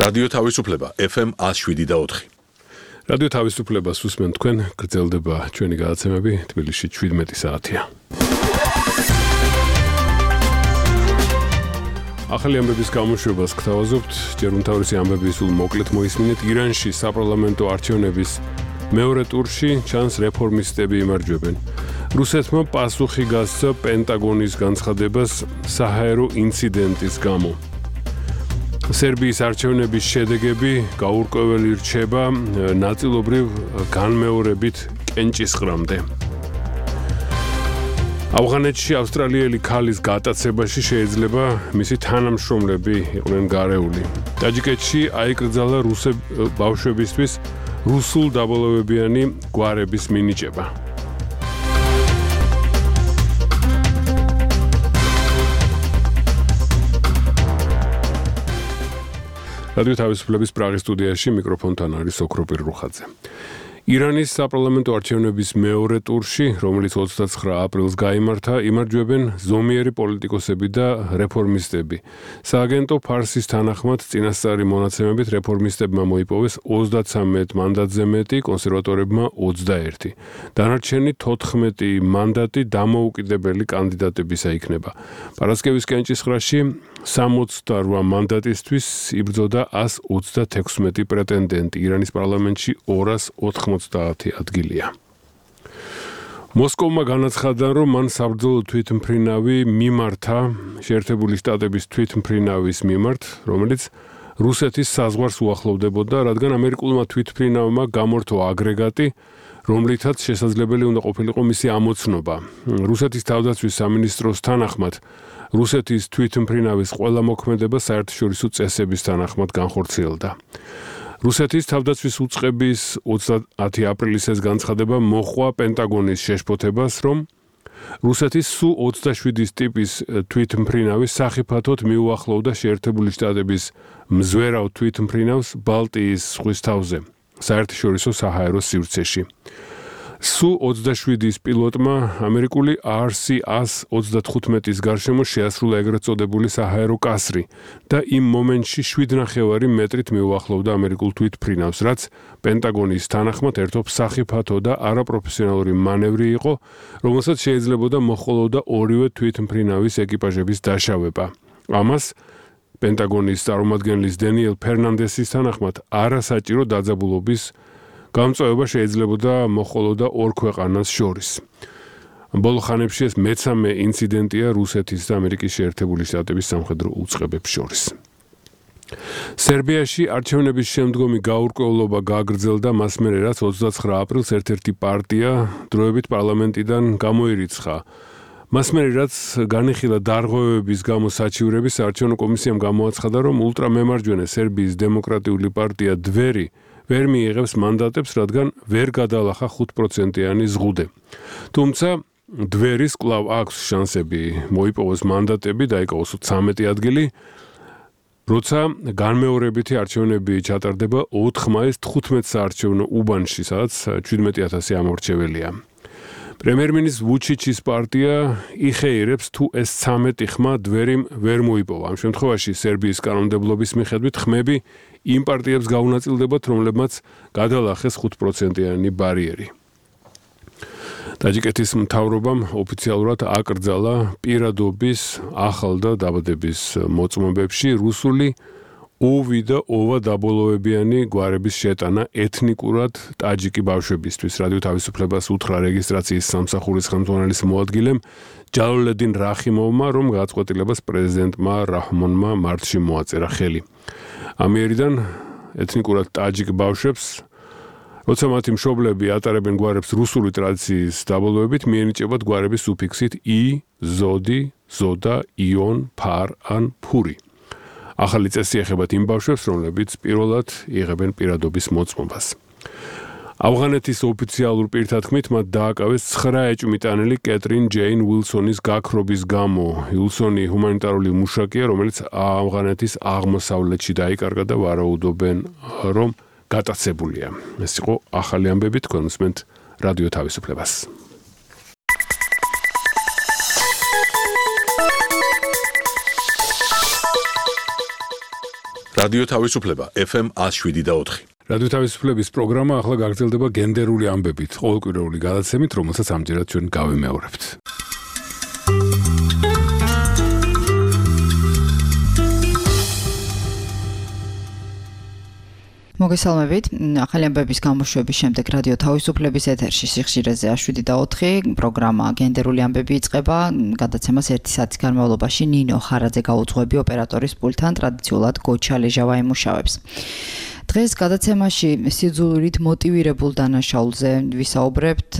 რადიო თავისუფლება FM 107.4. რადიო თავისუფლებას უსმენთ თქვენ, გრძელდება ჩვენი გადაცემები, თბილისში 17 საათია. ახალი ამბების გამოშვებას გთავაზობთ, ჯერ უმთავრესი ამბები სულ მოკლედ მოისმინეთ. ირანში საპარლამენტო არჩევნების მეორე ტურში ჩანს რეფორმისტები იმარჯვებენ. რუსეთმა პასუხი გასცა პენტაგონის განცხადებას საჰაერო ინციდენტის გამო. სერბიის არჩევნების შედეგები გაურკვეველი რჩება ნაწილობრივ განმეორებით კენჭისყრამდე. ავღანეთში ავსტრალიელი ქალის გატაცებაში შეიძლება მისი თანამშრომლები იყვნენ გარეული. ტაჯიკეთში აიკრძალა ბავშვებისთვის რუსულ დაბოლოებიანი გვარების მინიჭება. რადიო თავისუფლების პრაღის სტუდიაში მიკროფონთან არის ოქროპირ რუხაძე. ირანის საპარლამენტო არჩევნების მეორე ტურში, რომელიც 29 აპრილს გაიმართა, იმარჯვებენ ზომიერი პოლიტიკოსები და რეფორმისტები. სააგენტო ფარსის თანახმად წინასწარი მონაცემებით რეფორმისტებმა მოიპოვეს 33 მანდატზე მეტი, კონსერვატორებმა 21. დანარჩენი 14 მანდატი დამოუკიდებელი კანდიდატებისა იქნება. პარასკევის კენჭისყრაში 68 მანდატისთვის იბრძოდა 136 პრეტენდენტი. ირანის პარლამენტში 290 ადგილია. მოსკოვმა განაცხადა, რომ მან საბრძოლო თვითმფრინავი მიმართა შეერთებული შტატების თვითმფრინავის მიმართ, რომელიც რუსეთის საზღვარს უახლოვდებოდა, რადგან ამერიკულმა თვითმფრინავმა გამორთო აგრეგატი, რომლითაც შესაძლებელი უნდა ყოფილიყო მისი ამოცნობა. რუსეთის თავდაცვის სამინისტროს თანახმად რუსეთის თვითმფრინავის ყველა მოქმედება საერთაშორისო წესების თანახმად განხორციელდა. რუსეთის თავდაცვის უწყების 30 აპრილის ეს განცხადება მოჰყვა პენტაგონის შეშფოთებას, რომ რუსეთის Su-27 ტიპის თვითმფრინავი სახიფათოდ მიუახლოვდა შეერთებული შტატების მზვერავ თვითმფრინავს ბალტიის ზღვის თავზე, საერთაშორისო საჰაერო სივრცეში. Su-27-ის პილოტმა ამერიკული RC-135-ის გარშემო შეასრულა ეგრეთ წოდებული საჰაერო კასრი და იმ მომენტში 7.5 მეტრით მიუახლოვდა ამერიკულ თვითმფრინავს, რაც პენტაგონის თანახმად ერთობ სახიფათო და არაპროფესიონალური მანევრი იყო, რომელსაც შეიძლებოდა მოჰყოლოდა ორივე თვითმფრინავის ეკიპაჟების დაშავება. ამას პენტაგონის წარმომადგენლის დენიელ ფერნანდესის თანახმად არასაჭირო დაძაბულობის გამწვევა შეიძლებოდა მოჰყოლოდა ორ ქვეყანას შორის. ბოლო ხანებში ეს მე-13 ინციდენტია რუსეთის და ამერიკის შეერთებული შტატების სამხედრო უწყებებს შორის. სერბიაში არჩევნების შემდგომი გაურკვევლობა გაგრძელდა მას მერე, რაც 29 აპრილს ერთ-ერთი პარტია დროებით პარლამენტიდან გამოირიცხა. მას მერე, რაც განიხილა დარღვევების გამო საჩივრები, საარჩევნო კომისიამ გამოაცხადა, რომ ულტრამემარჯვენე სერბიის დემოკრატიული პარტია დვერი ვერ მიიღებს მანდატებს, რადგან ვერ გადალახა 5%-იანი ზღუდე. თუმცა დვერის კვლავ აქვს შანსები მოიპოვოს მანდატები და იკავოს 13 ადგილი, როცა განმეორებითი არჩევნები ჩატარდება 4 მაისს 15 საარჩევნო უბანში, სადაც 17,000 ამორჩეველია. პრემიერ-მინისტრის ვუჩიჩის პარტია იხეირებს, თუ ეს 13 ხმა დვერიმ ვერ მოიპოვა. ამ შემთხვევაში სერბიის კანონმდებლობის მიხედვით ხმები იმ პარტიებს გაუნაწილდებათ, რომლებმაც გადალახეს 5%-იანი ბარიერი. ტაჯიკეთის მთავრობამ ოფიციალურად აკრძალა პირადობის ახალ და დაბადების მოწმობებში რუსული ოვი და ოვა დაბოლოებიანი გვარების შეტანა ეთნიკურად ტაჯიკი ბავშვებისთვის. რადიო თავისუფლებას უთხრა რეგისტრაციის სამსახურის ხელმძღვანელის მოადგილემ ჯალოლედინ რახიმოვმა, რომ გადაწყვეტილებას პრეზიდენტმა რაჰმონმა მარტში მოაწერა ხელი. ამიერიდან ეთნიკურად ტაჯიკ ბავშვებს, როცა მათი მშობლები ატარებენ გვარებს რუსული ტრადიციის დაბოლოებით, მიენიჭებათ გვარების სუფიქსით ი, ზოდი, ზოდა, იონ, ფარ ან ფური. ახალი წესი ეხება იმ ბავშვებს, რომლებიც პირველად იღებენ პირადობის მოწმობას. ავღანეთის ოფიციალურ პირთათქმით მათ დააკავეს 9 ეჭვმიტანილი კეტრინ ჯეინ უილსონის გაქრობის გამო. უილსონი ჰუმანიტარული მუშაკია, რომელიც ავღანეთის აღმოსავლეთში დაიკარგა და ვარაუდობენ, რომ გატაცებულია. ეს იყო ახალი ამბები, თქვენ უსმენთ რადიო თავისუფლებას. რადიო თავისუფლება FM 107.4. რადიო თავისუფლების პროგრამა ახლა გაგრძელდება გენდერული ამბებით, ყოველკვირეული გადაცემით, რომელსაც ამჯერად ჩვენ გავიმეორებთ. მოგესალმებით. ახალი ამბების გამოშვების შემდეგ რადიო თავისუფლების ეთერში სიხშირეზე 7.4 პროგრამა გენდერული ამბები იწყება. გადაცემას 1 საათის განმავლობაში ნინო ხარაძე გაუძღვები ოპერატორის პულტთან, ტრადიციულად გოჩა ლეჟავა ემუშავებს. დღეს გადაცემაში სიძულვით მოტივირებულ დანაშაულზე ვისაუბრებთ,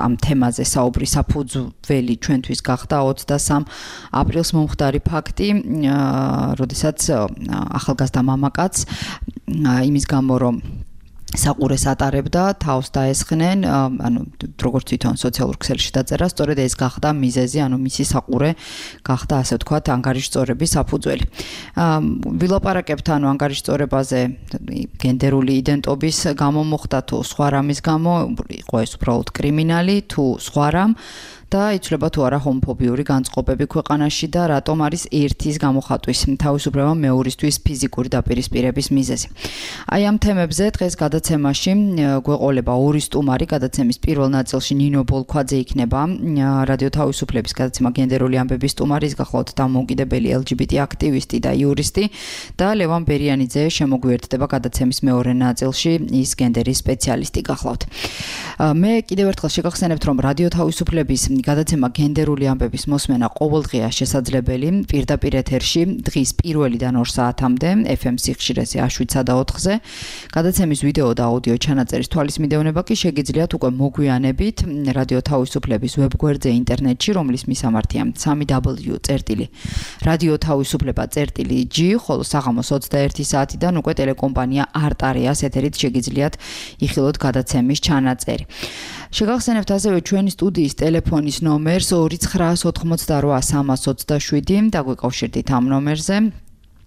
ამ თემაზე საუბრის საფუძველი ჩვენთვის გახდა 23 აპრილს მომხდარი ფაქტი, როდესაც ახალგაზრდა მამაკაცს იმის გამო რომ საყურეს ატარებდა, თავს დაესხნენ, ანუ როგორც თვითონ სოციალურ ქსელში დაწერა, სწორედ ეს გახდა მიზეზი, ანუ მისი საყურე გახდა, ასე ვთქვათ, ანგარიშწორების საფუძველი. ვილაპარაკებთ ანუ ანგარიშწორებაზე გენდერული იდენტობის გამო მოხდა თუ სხვა რამის გამო, იყო ეს უბრალოდ კრიმინალი თუ სხვა რამ და იცვლება თუ არა ჰომოფობიური განწყობები ქვეყანაში და რატომ არის ერთის გამოხატვის თავისუფლება მეორისთვის ფიზიკური დაპირისპირების მიზეზი. აი ამ თემებზე დღეს გადაცემაში გვეყოლება ორი სტუმარი, გადაცემის პირველ ნაწილში ნინო ბოლქვაძე იქნება, რადიო თავისუფლების გადაცემა გენდერული ამბების სტუმარი, ის გახლავთ დამოუკიდებელი LGBT აქტივისტი და იურისტი და ლევან ბერიანიძე შემოგვიერთდება გადაცემის მეორე ნაწილში, ის გენდერის სპეციალისტი გახლავთ. მე კიდევ ერთხელ შეგახსენებთ, რომ რადიო თავისუფლების გადაცემა გენდერული ამბების მოსმენა ყოველდღეა შესაძლებელი პირდაპირ ეთერში დღის 1-დან 2 საათამდე FM სიხშირეზე 7.4-ზე. გადაცემის ვიდეო და აუდიო ჩანაწერის თვალის მიდევნება კი შეგიძლიათ უკვე მოგვიანებით რადიო თავისუფლების ვებგვერდზე ინტერნეტში, რომლის მისამართია www.radiotavisufleba.g, ხოლო საღამოს 21 საათიდან უკვე ტელეკომპანია არტარეას ეთერით შეგიძლიათ იხილოთ გადაცემის ჩანაწერი. შეგახსენებთ ასევე ჩვენი სტუდიის ტელეფონის ნომერს 2988327 და გვეკავშირდით ამ ნომერზე.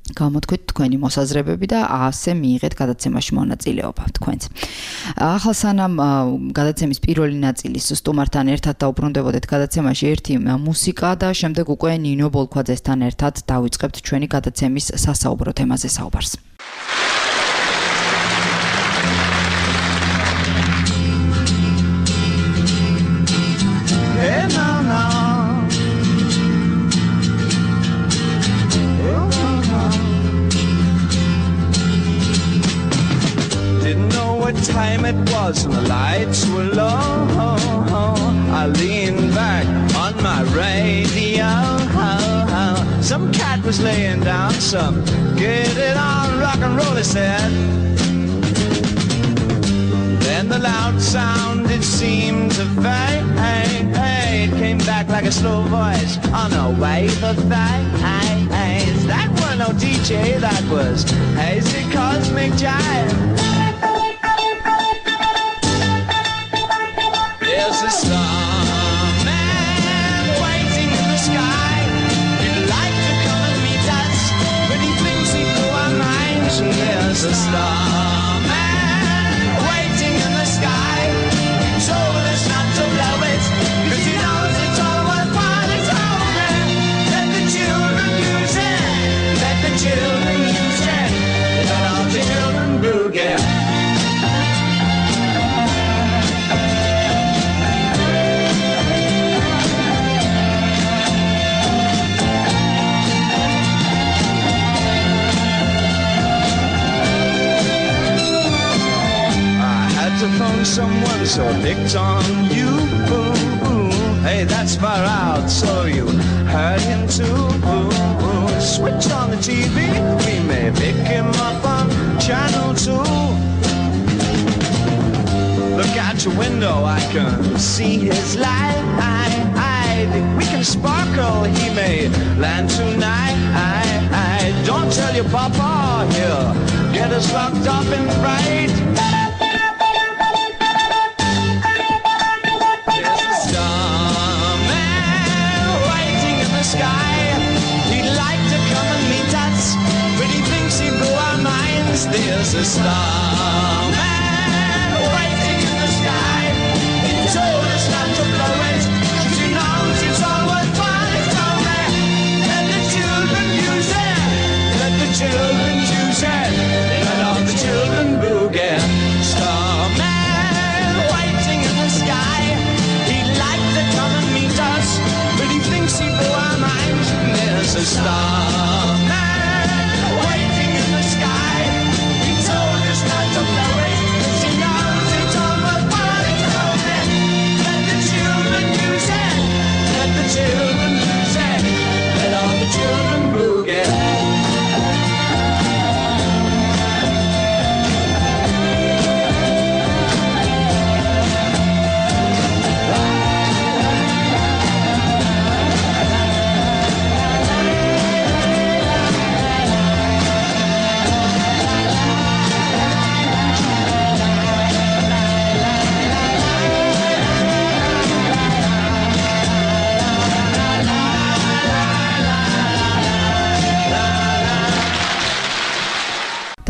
გამოთქვით თქვენი მოსაზრებები და ასე მიიღეთ გადაცემაში მონაწილეობა თქვენც. ახლა სანამ გადაცემის პირველი ნაწილის სტუმართან ერთად დაუბრუნდებოდეთ გადაცემაში ერთი მუსიკა და შემდეგ უკვე ნინო ბოლქვაძესთან ერთად დავიწყებთ ჩვენი გადაცემის სასაუბრო თემაზე საუბარს. Time it was and the lights were low. I leaned back on my radio. Some cat was laying down some get it on rock and roll, he said. Then the loud sound it seemed to fade. Came back like a slow voice on a wave of bass. That was no DJ, that was hazy cosmic jive. There's a starman waiting in the sky. He'd like to come and meet us, but he thinks he blew our minds. There's a starman waiting in the sky. He told us not to blow it, 'cause he knows it's all worthwhile. It's over. Let the children use it. Let the children use it. Let all the children boogie. To phone someone, so I picked on you. Hey, that's far out, so you heard him too. Switch on the TV, we may pick him up on channel 2. Look out your window, I can see his light. We can sparkle, he may land tonight. Don't tell your papa, he'll get us locked up in fright. There's a starman waiting in the sky. He told us not to blow it, 'cause he knows it's all worthwhile. It's over. Let the children use it. Let the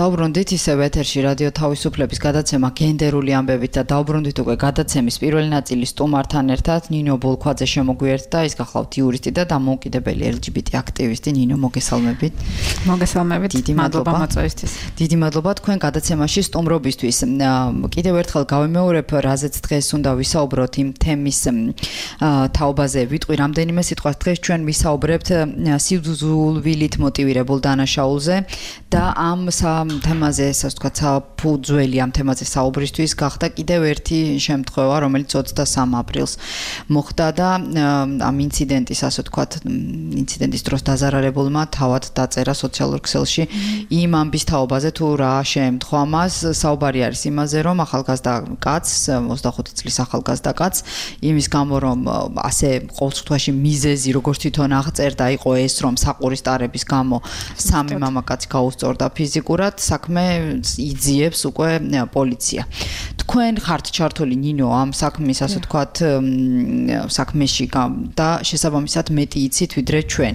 დაუბრუნდით ისევ ეთერში რადიო თავისუფლების გადაცემა გენდერული ამბებით და დაუბრუნდით უკვე გადაცემის პირველი ნაწილის სტუმართან ერთად ნინო ბოლქვაძე შემოგვიერთდა ის გახლავთ იურისტი და დამოუკიდებელი LGBT აქტივისტი ნინო მოგესალმებით. მოგესალმებით. მადლობა მოწვევისთვის. დიდი მადლობა თქვენ გადაცემაში სტუმრობისთვის. კიდევ ერთხელ გავიმეორებ რაზეც დღეს უნდა ვისაუბროთ იმ თემის თაობაზე ვიტყვი რამდენიმე სიტყვას დღეს ჩვენ ვისაუბრებთ სიძულვილით მოტივირებულ დანაშაულზე და ამ თემაზე ასე ვთქვათ საფუძველი ამ თემაზე საუბრისთვის გახდა კიდევ ერთი შემთხვევა რომელიც 23 აპრილს მოხდა და ამ ინციდენტის ასე ვთქვათ ინციდენტის დროს დაზარალებულმა თავად დაწერა სოციალურ ქსელში იმ ამბის თაობაზე თუ რა შეემთხვა მას საუბარი არის იმაზე რომ ახალგაზრდა კაცს 25 წლის ახალგაზრდა კაცს იმის გამო რომ ასე ყოველწუთაში მიზეზი როგორც თვითონ აღწერდა იყო ეს რომ საყურის ტარების გამო სამი მამაკაცი გაუსწორდა ფიზიკურად საქმე იძიებს უკვე პოლიცია. თქვენ ხართ ჩართული ნინო ამ საქმის ასე ვთქვათ საქმეში და შესაბამისად მეტი იცით ვიდრე ჩვენ.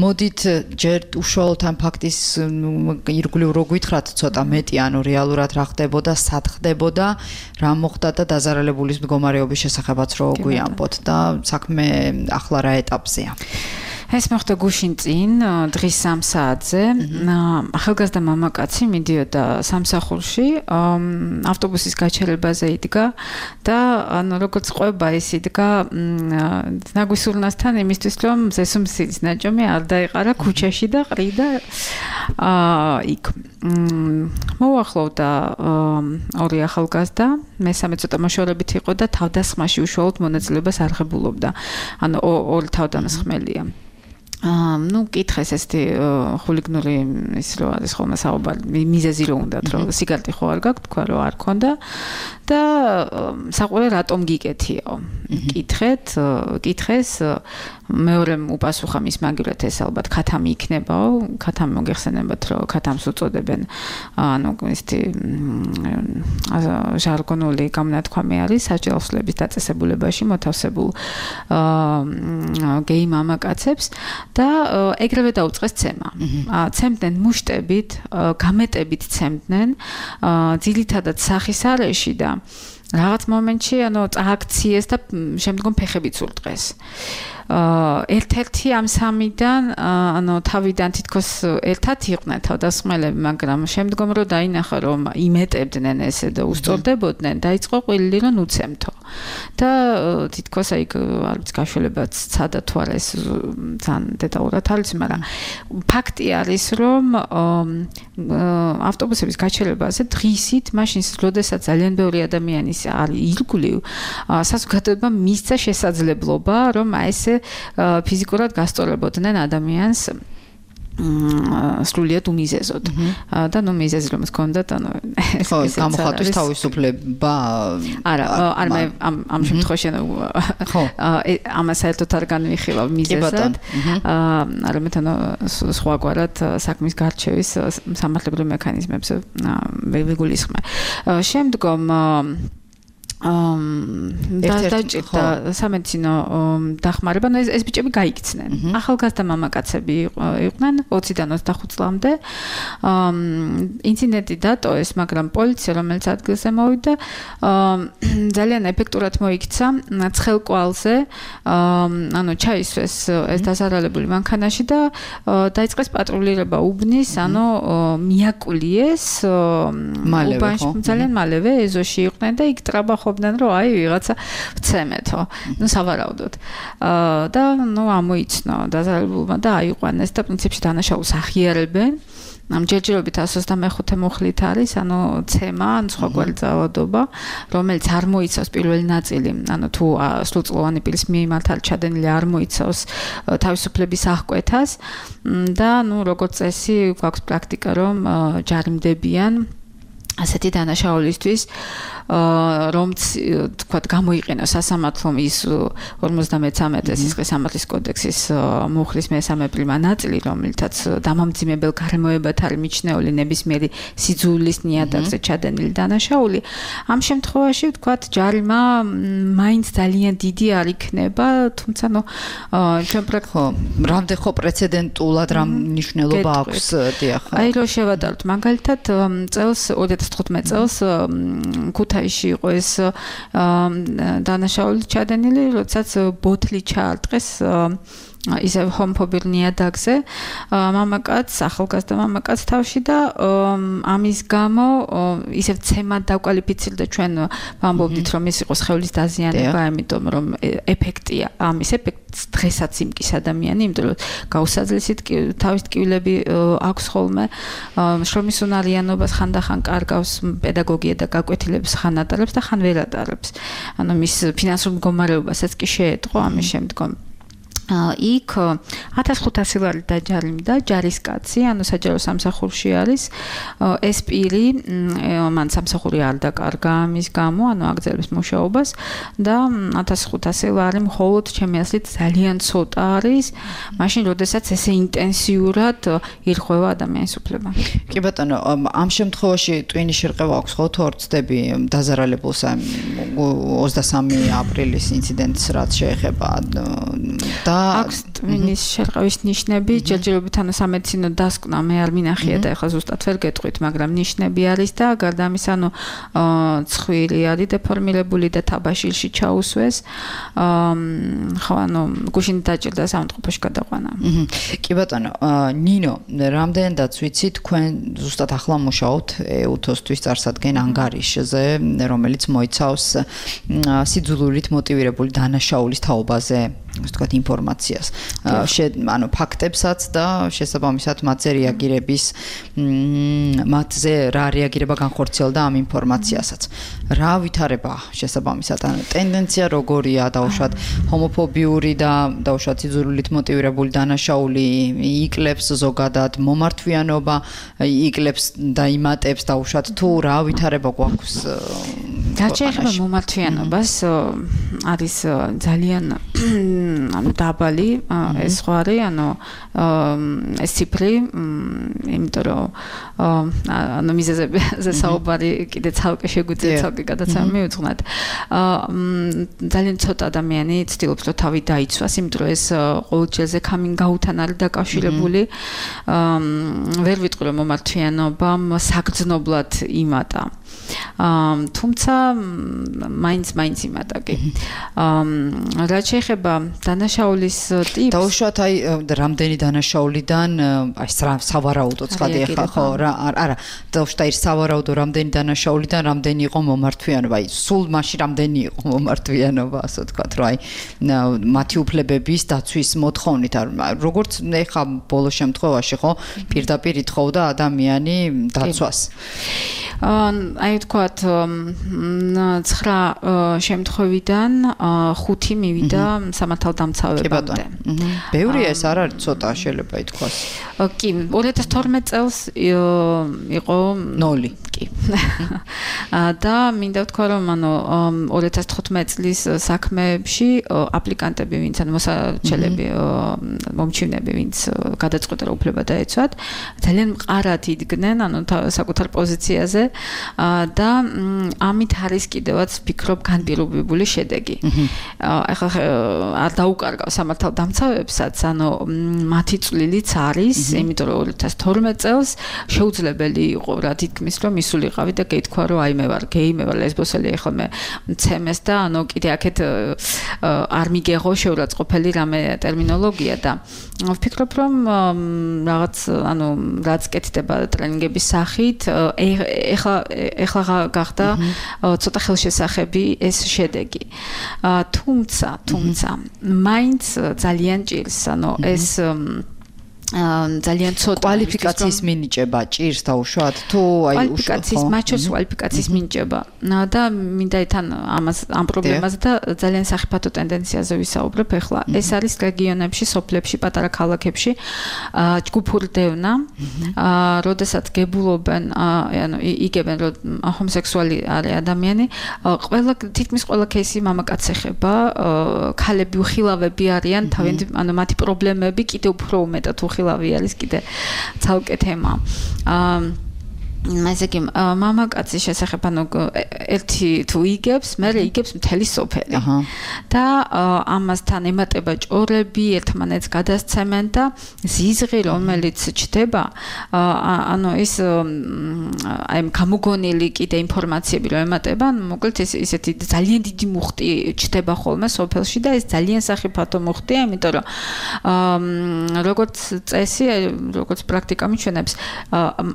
მოდით ჯერ უშუალოდ ამ ფაქტის ირგვლივ რო გითხრათ ცოტა მეტი ანუ რეალურად რა ხდებოდა, სად ხდებოდა, რა მოხდა და დაზარალებულის მდგომარეობის შესახებაც რო გვიამბოთ და საქმე ახლა რა ეტაპზეა. ეს მოხდა გუშინ წინ დღის 3 საათზე ახალგაზრდა მამაკაცი მიდიოდა სამსახურში ავტობუსის გაჩერებაზე იდგა და ანუ როგორც ყვება ის იდგა ნაგვისურნასთან იმისთვის რომ ზესუმსიძის ნაჭომი არ დაეყარა ქუჩაში და ყრიდა იქ მოახლოვდა ორი ახალგაზრდა მესამე ცოტა მოშორებით იყო და თავდასხმაში უშუალოდ მონაწილეობას არ ღებულობდა ანუ ორი თავდამსხმელია ну კითხეს ესეთი ხულიგნური ის რო არის ხოლმე საუბარი მიზეზი რო უნდათ რომ სიგარეტი ხო არ გაქვთ თქვა რომ არ ქონდა და საყვარელი რატომ გიკეთიო კითხეს მეორემ უპასუხა მის მაგივრად ეს ალბათ ქათამი იქნებაო ქათამი მოგეხსენებათ რომ ქათამს უწოდებენ ანუ ესეთი ჟარგონული გამონათქვამი არის საჯელოსლების დაწესებულებაში მოთავსებულ გეი მამაკაცებს და ეგრევე დაუწყეს ცემა. ცემდნენ მუშტებით, გამეტებით ცემდნენ, ძირითადად სახის არეში და რაღაც მომენტში ანუ წააქციეს და შემდგომ ფეხებით სულტყეს. ერთ-ერთი ამ სამიდან ანუ თავიდან თითქოს ერთად იყვნენ თავდასხმელები, მაგრამ შემდგომ რო დაინახა რომ იმეტებდნენ ესე და უსწორდებოდნენ, დაიწყო ყვილილი რომ უცემთო. და თითქოს აი არ ვიცი გაშველებაც ცადა თუ არა ეს ძალიან დეტალურად არის, მაგრამ ფაქტი არის რომ ავტობუსების გაჩერებაზე დღისით, მაშინ როდესაც ძალიან ბევრი ადამიანი არის ირგვლივ, საზოგადოება მისცა შესაძლებლობა რომ აი ესე ფიზიკურად გასწორებოდნენ ადამიანს სრულიად უმიზეზოდ და ნუ მიზეზი რომ ჰქონდათ ანუ ეს გამოხატვის თავისუფლება არა მე ამ შემთხვევაში ხო ამას საერთოდ არ განვიხილავ მიზეზად არამედ ანუ სხვაგვარად საქმის გარჩევის სამართლებრივ მექანიზმებს ვიგულისხმე შემდგომ დაჭირდა სამედიცინო დახმარება, ანუ ეს ბიჭები გაიქცნენ. ახალგაზრდა მამაკაცები იყვნენ 20-დან 25 წლამდე. ინციდენტი დატოეს, მაგრამ პოლიცია, რომელიც ადგილზე მოვიდა, ძალიან ეფექტურად მოიქცა ცხელკვალზე, ანუ ჩაისვეს ეს დაზარალებული მანქანაში და დაიწყეს პატრულირება უბნის, ანუ მიაკულიეს უბანში ძალიან მალევე ეზოში იყვნენ და იქ ტრაბახობდნენ რომ აი ვიღაცა ვცემეთო. ნუ სავარაუდოდ. და ნუ ამოიცნო დაზარალებულმა და აიყვანეს და პრინციპში დანაშაულს ახიარებენ. ამ ჯერჯერობით 125 მუხლით არის, ანუ ცემა, ან სხვაგვარი ძალადობა, რომელიც არ მოიცავს პირველი ნაწილი, ანუ თუ სრულწლოვანი პირის მიმართ ჩადენილი არ მოიცავს თავისუფლების აღკვეთას და ნუ როგორც წესი, გვაქვს პრაქტიკა, რომ ჯარიმდებიან ასეთი დანაშაულისთვის რომც თქვათ გამოიყენოს სასამართლომ ის 53 სისხლის სამართლის კოდექსის მუხლის მე-3 პრიმა ნაწილი, რომელთაც დამამძიმებელ გარემოებად არის მიჩნეული ნებისმიერი სიძულვილის ნიადაგზე ჩადენილი დანაშაული, ამ შემთხვევაში ვთქვათ ჯარიმა მაინც ძალიან დიდი არ იქნება, თუმცა ჩვენ რამდენ ხო პრეცედენტულად რამ მნიშვნელობა აქვს დიახ. აი რო შევადაროთ მაგალითად წელს 2015 წელს ქუთაისში იყო ეს დანაშაული ჩადენილი, როდესაც ბოთლი ჩაარტყეს ისევ ჰომოფობილ ნიადაგზე მამაკაც, ახალგაზრდა მამაკაც თავში და ამის გამო ისევ ცემად დაკვალიფიცირდა ჩვენ ვამბობდით რომ ის იყო სხეულის დაზიანება, იმიტომ რომ ეფექტია ამის ეფექტს დღესაც იმკის ადამიანი, იმიტომ რომ გაუსაძლისით თავის ტკივილები აქვს ხოლმე, შრომის უნარიანობას ხანდახან კარგავს, პედაგოგია და გაკვეთილებს ხან ატარებს და ხან ვერ ატარებს. ანუ მის ფინანსურ მდგომარეობასაც კი შეეტყო ამის შემდგომ. იქ 1500 ლარი დაჯარიმდა ჯარისკაცი, ანუ საჯარო სამსახურში არის. ეს პირი მან სამსახური არ დაკარგა ამის გამო, ანუ აგრძელებს მუშაობას და 1500 ლარი მხოლოდ ჩემი აზრით ძალიან ცოტა არის, მაშინ როდესაც ესე ინტენსიურად ირღვევა ადამიანის უფლება. კი ბატონო, ამ შემთხვევაში ტვინის შერყევა აქვს ხო თუ არ ვწდები დაზარალებულს 23 აპრილის ინციდენტს რაც შეეხება და აქვს ტვინის შერყევის ნიშნები, ჯერჯერობით ანუ სამედიცინო დასკვნა მე არ მინახია და ეხლა ზუსტად ვერ გეტყვით, მაგრამ ნიშნები არის და გარდა ამისა ანუ ცხვირი არის დეფორმირებული და თაბაშირში ჩაუსვეს. ხო, ანუ გუშინ დაჭირდა სამწყობოში გადაყვანა. კი ბატონო, ნინო, რამდენადაც ვიცი, თქვენ ზუსტად ახლა მუშაობთ ეუთოსთვის წარსადგენ ანგარიშზე, რომელიც მოიცავს სიძულვილით მოტივირებული დანაშაულის თაობაზე ვთქვათ ინფორმაციას, ანუ ფაქტებსაც და შესაბამისად მათზე რეაგირების მათზე რა რეაგირება განხორციელდა ამ ინფორმაციასაც. რა ვითარება შესაბამისად, ანუ ტენდენცია როგორია დაუშვათ ჰომოფობიური და დაუშვათ სიძულვილით მოტივირებული დანაშაული იკლებს ზოგადად მომართვიანობა იკლებს და იმატებს დაუშვათ თუ რა ვითარება გვაქვს რაც შეეხება მომართვიანობას არის ძალიან ანუ დაბალი ეს ხო არის, ანუ ეს ციფრი, იმიტომ რომ ანუ მიზეზებზე საუბარი კიდე ცალკე შეგვიძლია ცალკე გადაცემა მივუძღვნათ. ძალიან ცოტა ადამიანი ცდილობს რომ თავი დაიცვას, იმიტომ რომ ეს ყოველდღიურზე coming-out-თან არის დაკავშირებული. ვერ ვიტყვი რომ მომართვიანობამ საგრძნობლად იმატა. თუმცა მაინც იმატა კი. რაც შეეხება დანაშაულის ტიპს, დაუშვათ აი რამდენი დანაშაულიდან აი სავარაუდო ცხადი ახლა ხო რა არა დაუშვათ აი სავარაუდო რამდენი დანაშაულიდან რამდენი იყო მომართვიანობა, აი სულ მაშინ რამდენი იყო მომართვიანობა, ასე ვთქვათ, რომ აი მათი უფლებების დაცვის მოთხოვნით როგორც ეხლა ბოლო შემთხვევაში ხო პირდაპირ ითხოვდა ადამიანი დაცვას. აი ვთქვათ 9 შემთხვევიდან 5 მივიდა სამართალდამცავებამდე. ბევრია ეს არ არის ცოტა შეიძლება ითქვას. კი, 2012 წელს იყო 0. კი. და მინდა ვთქვა რომ ანუ 2015 წლის საქმეებში აპლიკანტები ვინც ანუ მოსაჩელები მომჩივნები ვინც გადაწყვეტა რომ უფლება დაეცვათ, ძალიან მყარად იდგნენ ანუ საკუთარ პოზიციაზე და ამით არის კიდევაც ვფიქრობ განპირობებული შედეგი. ახლა არ დაუკარგავ სამართალდამცავებსაც, ანუ მათი წვლილიც არის, იმიტომ რომ 2012 წელს შეუძლებელი იყო რა თითქმის რომ ისულიყავი და გეთქვა რომ აი მე ვარ გეი, მე ვარ ლესბოსელი, ახლა მე მცემეს და ანუ კიდე აქეთ არ მიგეღო შეურაცხყოფელი რამე ტერმინოლოგია და ვფიქრობ რომ რაღაც ანუ რაც კეთდება ტრენინგების სახით ეხლა გახდა ცოტა ხელშესახები ეს შედეგი. თუმცა მაინც ძალიან ჭირს, ანუ ეს ძალიან ცოტა კვალიფიკაციის მინიჭება ჭირს დაუშვათ თუ აი კვალიფიკაციის მაჩოს კვალიფიკაციის მინიჭება და მინდა თან ამ პრობლემაზე და ძალიან სახიფათო ტენდენციაზე ვისაუბრებ ახლა ეს არის რეგიონებში სოფლებში პატარა ქალაქებში ჯგუფური დევნა როდესაც გებულობენ ანუ იგებენ რომ ჰომოსექსუალი არის ადამიანი ყველა თითქმის ყველა кейსი მამაკაცს ეხება ქალები უხილავები არიან თავიანთი ანუ მათი პრობლემები კიდევ უფრო უმეტად უხილავი არის კიდე ცალკე თემა ესე იგი მამაკაცის შესახებ ანუ ერთი თუ იგებს მე იგებს მთელი სოფელი და ამასთან ემატება ჭორები ერთმანეთს გადასცემენ და ზიზღი რომელიც ჩდება ანუ ის აი გამოგონილი კიდე ინფორმაციები რომ ემატება მოკლედ ისეთი ძალიან დიდი მუხტი ჩდება ხოლმე სოფელში და ეს ძალიან სახიფათო მუხტია იმიტომ რომ როგორც წესი როგორც პრაქტიკა მიჩვენებს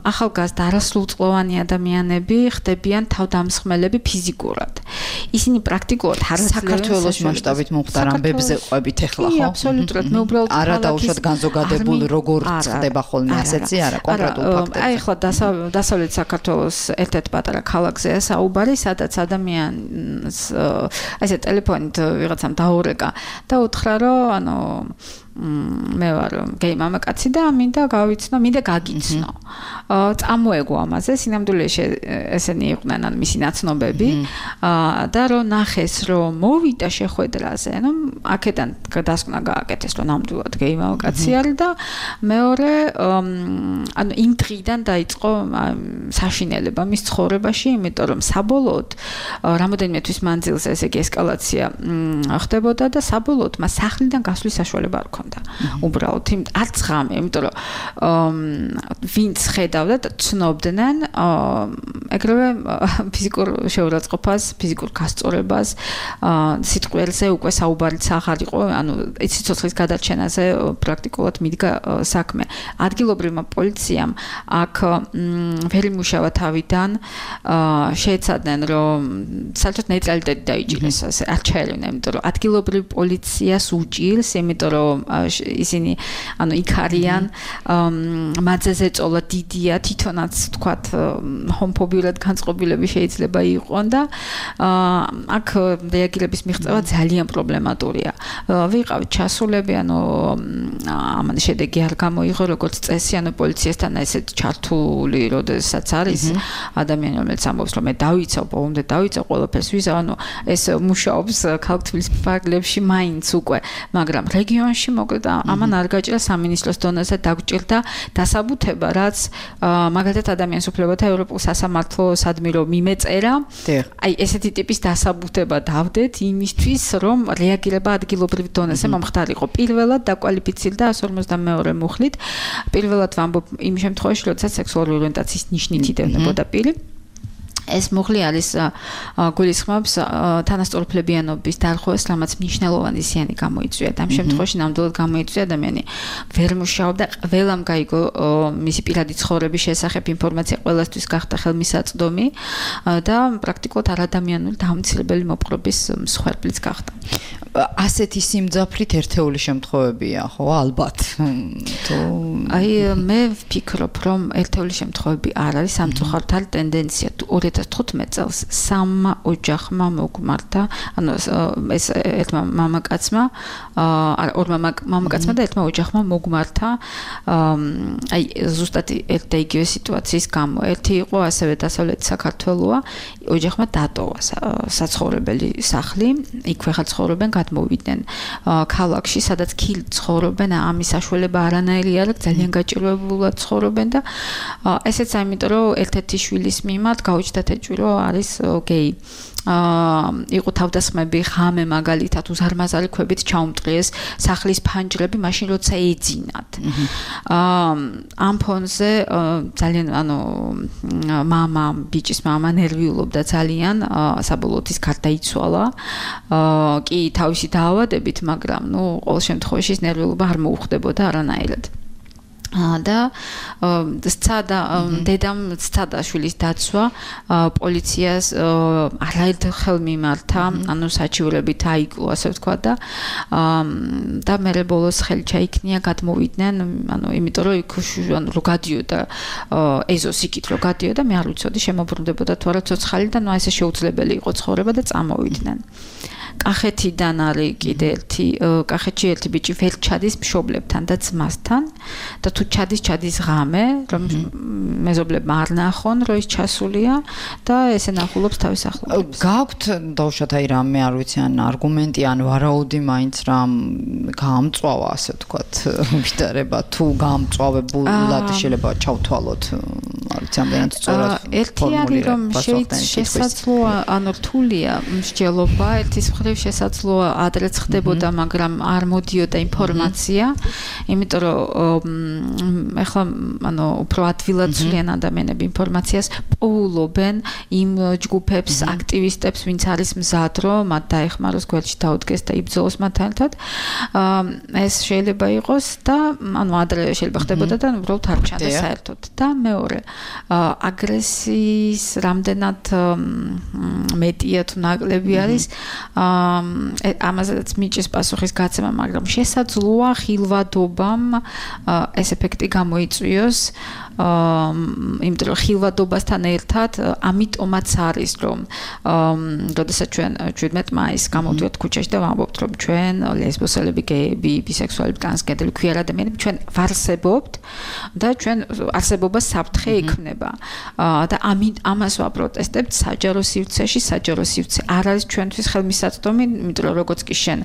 ახალგაზრდა სრულწლოვანი ადამიანები ხდებიან თავდამსხმელები ფიზიკურად. ისინი პრაქტიკულად საქართველოს მასშტაბით მომხდარ ამბებზე ყვებით ახლა ხო? აბსოლუტურად მე უბრალოდ არა დაუშვათ განზოგადებულ როგორ ხდება ხოლმე ასეთი არა კონკრეტულ ფაქტებზე. აი ახლა დასავლეთ საქართველოს ერთ-ერთ პატარა ქალაქზეა საუბარი, სადაც ადამიანს ესე ტელეფონით ვიღაცამ დაურეკა და უთხრა რომ ანუ მე ვარ გეი მამაკაცი და მინდა გავიცნო, მინდა გაგიცნო. წამოეგო ამაზე, სინამდვილეში ესენი იყვნენ ან მისი ნაცნობები და რომ ნახეს რომ მოვიდა შეხვედრაზე, ну, აქედან გადასკვნა გააკეთეს რომ ნამდვილად გეი მამაკაცი არის და მეორე ანუ იმ დღიდან დაიწყო საშინელება მის ცხოვრებაში, იმიტომ რომ საბოლოოდ რამოდენიმე თვის მანძილზე ესე იგი ესკალაცია ხდებოდა და საბოლოოდ მას სახლიდან გასვლის საშუალება არ ჰქონდა. უბრალოდ არც ღამე, იმიტომ რომ ვინც ხედავდა და ცნობდნენ ეგრევე ფიზიკურ შეურაცხყოფას, ფიზიკურ გასწორებას, სიტყველზე უკვე საუბარიც აღარ იყო, ანუ სიცოცხლის გადარჩენაზე პრაქტიკულად მიდგა საქმე. ადგილობრივმა პოლიციამ აქ ვერ იმუშავა თავიდან, შეეცადნენ რომ საერთოდ ნეიტრალიტეტი დაიჭირეს, ასე არ ჩაერივნა, იმიტომ რომ ადგილობრივ პოლიციას უჭირს, იმიტომ რომ ისინი ანუ იქ არიან მათზე წოლა დიდია თვითონაც თქვათ ჰომოფობიურად განწყობილები შეიძლება იყვონ და აქ რეაგირების მიღწევა ძალიან პრობლემატურია. ვიყავით ჩასულები, ანუ ამან შედეგი არ გამოიღო როგორც წესი, ანუ პოლიციასთან ესეთ ჩართული როდესაც არის ადამიანი რომელიც ამბობს რომ მე დავიცავ, ბოლომდე დავიცავ ყველაფერს ვიზავ, ანუ ეს მუშაობს ქალაქ თბილისის პარკლებში მაინც უკვე, მაგრამ რეგიონში მოკლედ ამან არ გაჭირა სამინისტროს დონეზე დაგვჭირდა დასაბუთება, რაც მაგალითად ადამიანის უფლებათა ევროპულ სასამართლოსადმი რომ მიმეწერა, აი ესეთი ტიპის დასაბუთება დავდეთ იმისთვის, რომ რეაგირება ადგილობრივ დონეზე მომხდარიყო. პირველად დაკვალიფიცირდა 152 მუხლით. პირველად ვამბობ იმ შემთხვევაში, როდესაც სექსუალური ორიენტაციის ნიშნით იდევნებოდა პირი. ეს მუხლი არის გულისხმობს თანასწორუფლებიანობის დარღვევას, რამაც მნიშვნელოვანი ზიანი გამოიწვია. ამ შემთხვევაში ნამდვილად გამოიწვია ადამიანი ვერ მუშაობდა, ყველამ გაიგო მისი პირადი ცხოვრების შესახებ ინფორმაცია ყველასთვის გახდა ხელმისაწვდომი და პრაქტიკულად არადამიანური დამცირებელი მოპყრობის მსხვერპლიც გახდა. ასეთი სიმძაფრით ერთეული შემთხვევებია, ხო, ალბათ. აი მე ვფიქრობ, რომ ერთეული შემთხვევები არ არის, სამწუხაროდ არის ტენდენცია 2015 წელს სამმა ოჯახმა მოგმართა, ანუ ეს ერთმა მამაკაცმა, ორმა მამაკაცმა და ერთმა ოჯახმა მოგმართა, აი ზუსტად ერთ და იგივე სიტუაციის გამო. ერთი იყო ასევე დასავლეთ საქართველოა, ოჯახმა დატოვა საცხოვრებელი სახლი, იქვე ხარ ცხოვრობენ, გადმოვიდნენ ქალაქში, სადაც კი ცხოვრობენ, ამის საშუალება არანაირი არ აქვს, ძალიან გაჭირვებულად ცხოვრობენ და ესეც ამიტომ რომ ერთ-ერთი შვილის მიმართ გაუჩნდა თეჭვი რომ არის გეი. იყო თავდასხმები ღამე მაგალითად უზარმაზარი ქვებით ჩაუმტყიეს სახლის ფანჯრები მაშინ როცა ეძინათ. ამ ფონზე ძალიან ანუ ბიჭის მამა ნერვიულობდა ძალიან, საბოლოოდ ის გარდაიცვალა. კი თავისი დაავადებით, მაგრამ ნუ ყოველ შემთხვევაში ეს ნერვიულობა არ მოუხდებოდა არანაირად. და სცადა დედამ სცადა შვილის დაცვა პოლიციას არაერთხელ მიმართა ანუ საჩივრებით აიკლო ასე ვთქვა და მერე ბოლოს ხელი ჩაიქნია გადმოვიდნენ ანუ იმიტომ რომ იქ ანუ რო გადიოდა ეზოს იქით რო გადიოდა მე არ ვიცოდი შემოbrunდებოდა თუ არა ცოცხალი და ნუ ესე შეუძლებელი იყო ცხოვრება და წამოვიდნენ კახეთიდან არის კიდე კახეთში ერთი ბიჭი ვერ ჩადის მშობლებთან და ძმასთან და თუ ჩადის ღამე რომ მეზობლებმა არ ნახონ რომ ის ჩასულია და ესე ნახულობს თავის ახლობლებს გაქვთ დავუშვათ აი რამე არ ვიცი ან არგუმენტი ან ვარაუდი მაინც რამ გაამწვავა ასე ვთქვათ ვიტარება თუ გაამწვავებულად შეიძლება ჩავთვალოთ არ ვიცი ამდენად სწორად ერთი არის რომ შესაძლოა ანუ რთულია მსჯელობა ერთის შესაძლოა ადრეც ხდებოდა, მაგრამ არ მოდიოდა ინფორმაცია, იმიტომ რომ ეხლა ანუ უფრო ადვილად ცვლიან ადამიანები ინფორმაციას, პოულობენ იმ ჯგუფებს, აქტივისტებს, ვინც არის მზად, რომ მათ დაეხმაროს, გვერდში დაუდგეს და იბრძოლოს მათთან ერთად. ეს შეიძლება იყოს და ანუ ადრე შეიძლება ხდებოდა და უბრალოდ არ ჩანდეს საერთოდ. და მეორე, აგრესიის რამდენად მეტია თუ ნაკლები არის ამაზეც მიჭის პასუხის გაცემა, მაგრამ შესაძლოა ხილვადობამ ეს ეფექტი გამოიწვიოს, იმიტომ რომ ხილვადობასთან ერთად ამიტომაც არის, რომ როდესაც ჩვენ 17 მაისს გამოვდივართ ქუჩაში და ვამბობთ, რომ ჩვენ ლესბოსელები, გეები, ბისექსუალები, ტრანსგენდერები, ქვიერ ადამიანები ჩვენ ვარსებობთ და ჩვენ არსებობას საფრთხე ექმნება. და ამას ვაპროტესტებთ საჯარო სივრცეში, საჯარო სივრცე არ არის ჩვენთვის ხელმისაწვდომი, იმიტომ რომ როგორც კი შენ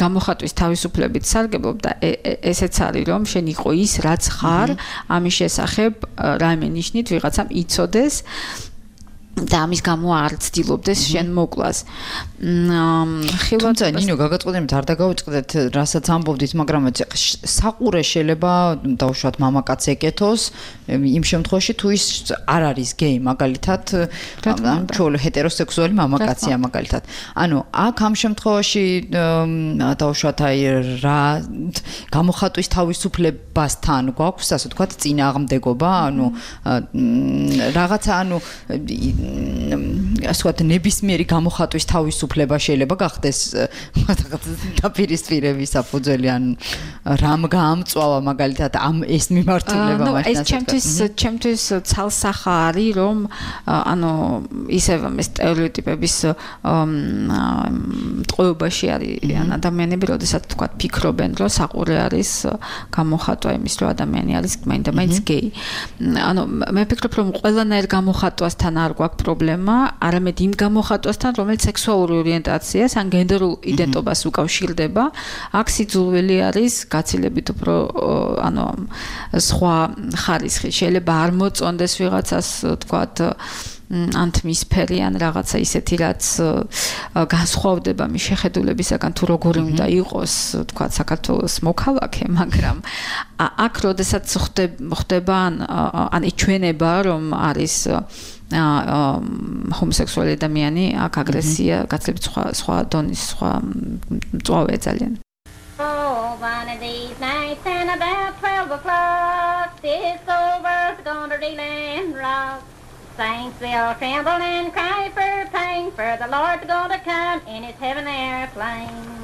გამოხატვის თავისუფლებით სარგებლობ და ესეც არის რომ შენ იყო ის რაც ხარ, ამის შესახებ რაიმე ნიშნით ვიღაცამ იცოდეს და ამის გამო არ ცდილობდეს შენ მოკლას. თუმცა ნინო გაგაწყდებით არ დაგავიწყდეთ რასაც ამბობდით, მაგრამ საყურე შეიძლება დავუშვათ მამაკაც ეკეთოს იმ შემთხვევაში თუ ის არ არის გეი მაგალითად ჩვენ ჰეტეროსექსუალი მამაკაცია მაგალითად. ანუ აქ ამ შემთხვევაში დავუშვათ აი რა გამოხატვის თავისუფლებასთან გვაქვს ასე ვთქვათ წინააღმდეგობა, ანუ რაღაცა ანუ ასე ვთქვათ ნებისმიერი გამოხატვის თავისუფლება შეიძლება გახდეს დაპირისპირების საფუძველი ან რამ გაამწვავა მაგალითად ამ ეს მიმართულება მაშინ ჩემთვის ცალსახა არის რომ ანუ ისევ ეს სტერეოტიპების ტყუებაში არიან ადამიანები, როდესაც თქვა ფიქრობენ რომ საყურე არის გამოხატვა იმის რომ ადამიანი არის მაინც გეი. ანუ მე ვფიქრობ რომ ყველანაირ გამოხატვასთან არ გვაქვს პრობლემა, არამედ იმ გამოხატვასთან, რომელიც სექსუალური ორიენტაციას ან გენდერულ იდენტობას უკავშირდება. აქ სიძულველი არის გაცილებით უფრო ანუ სხვა ხარისხი. შეიძლება არ მოწონდეს ვიღაცას, თქვათ ანთმისფერი ან რაღაცა ისეთი, რაც განსხვავდება მის შეხედულებისაგან თუ როგორი უნდა იყოს, თქვათ საქართველოს მოქალაქე, მაგრამ აქ როდესაც ხდება ან იჩვენება, რომ არის ჰომოსექსუალი ადამიანი, აქ აგრესია გაცილებით სხვა დონის, სხვა მწვავეა ძალიან. Oh, one of these nights and about 12 o'clock, this old world's gonna reel and rock. Saints will tremble and cry for pain, for the Lord's gonna come in his heaven airplane.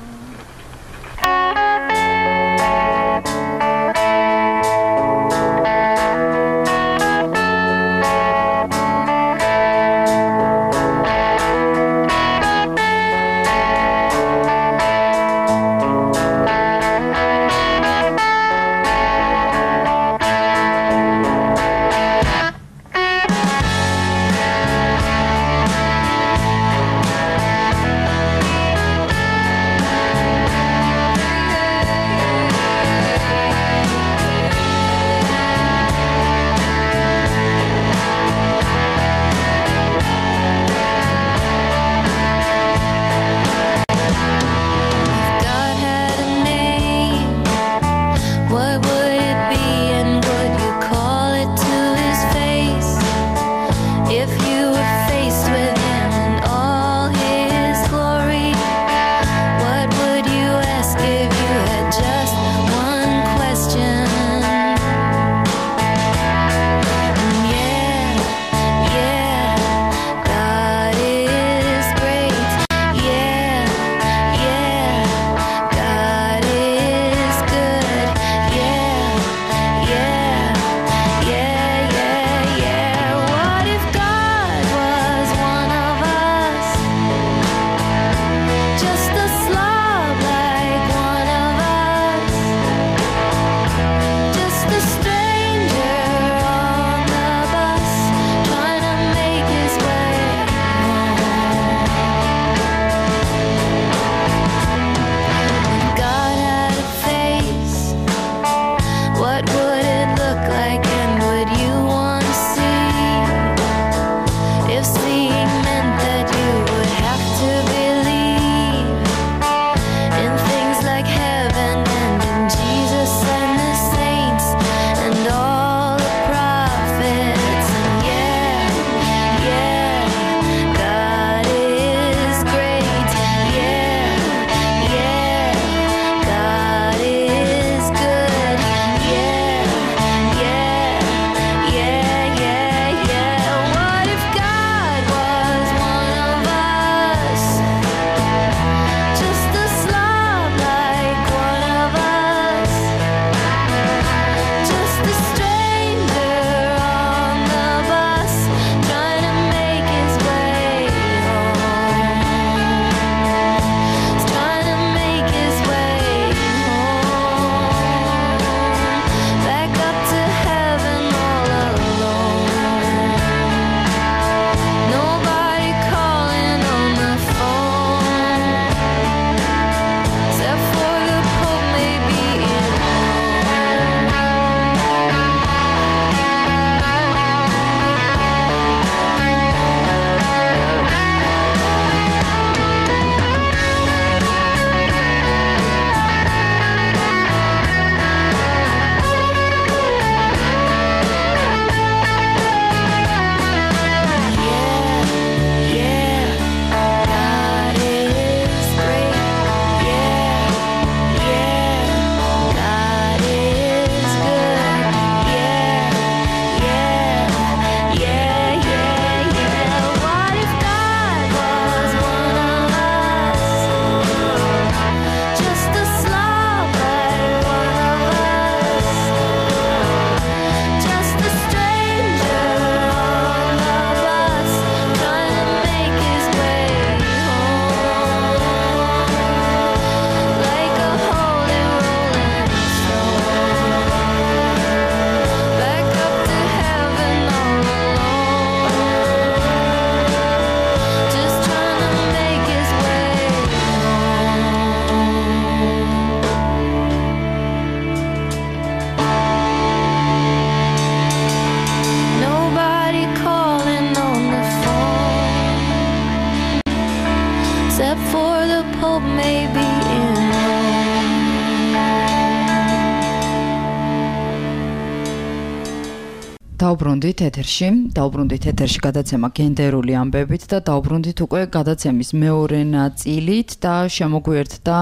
დაუბრუნდით ეთერში გადაცემა გენდერული ამბებით და დაუბრუნდით უკვე გადაცემის მეორე ნაწილით და შემოგვიერთდა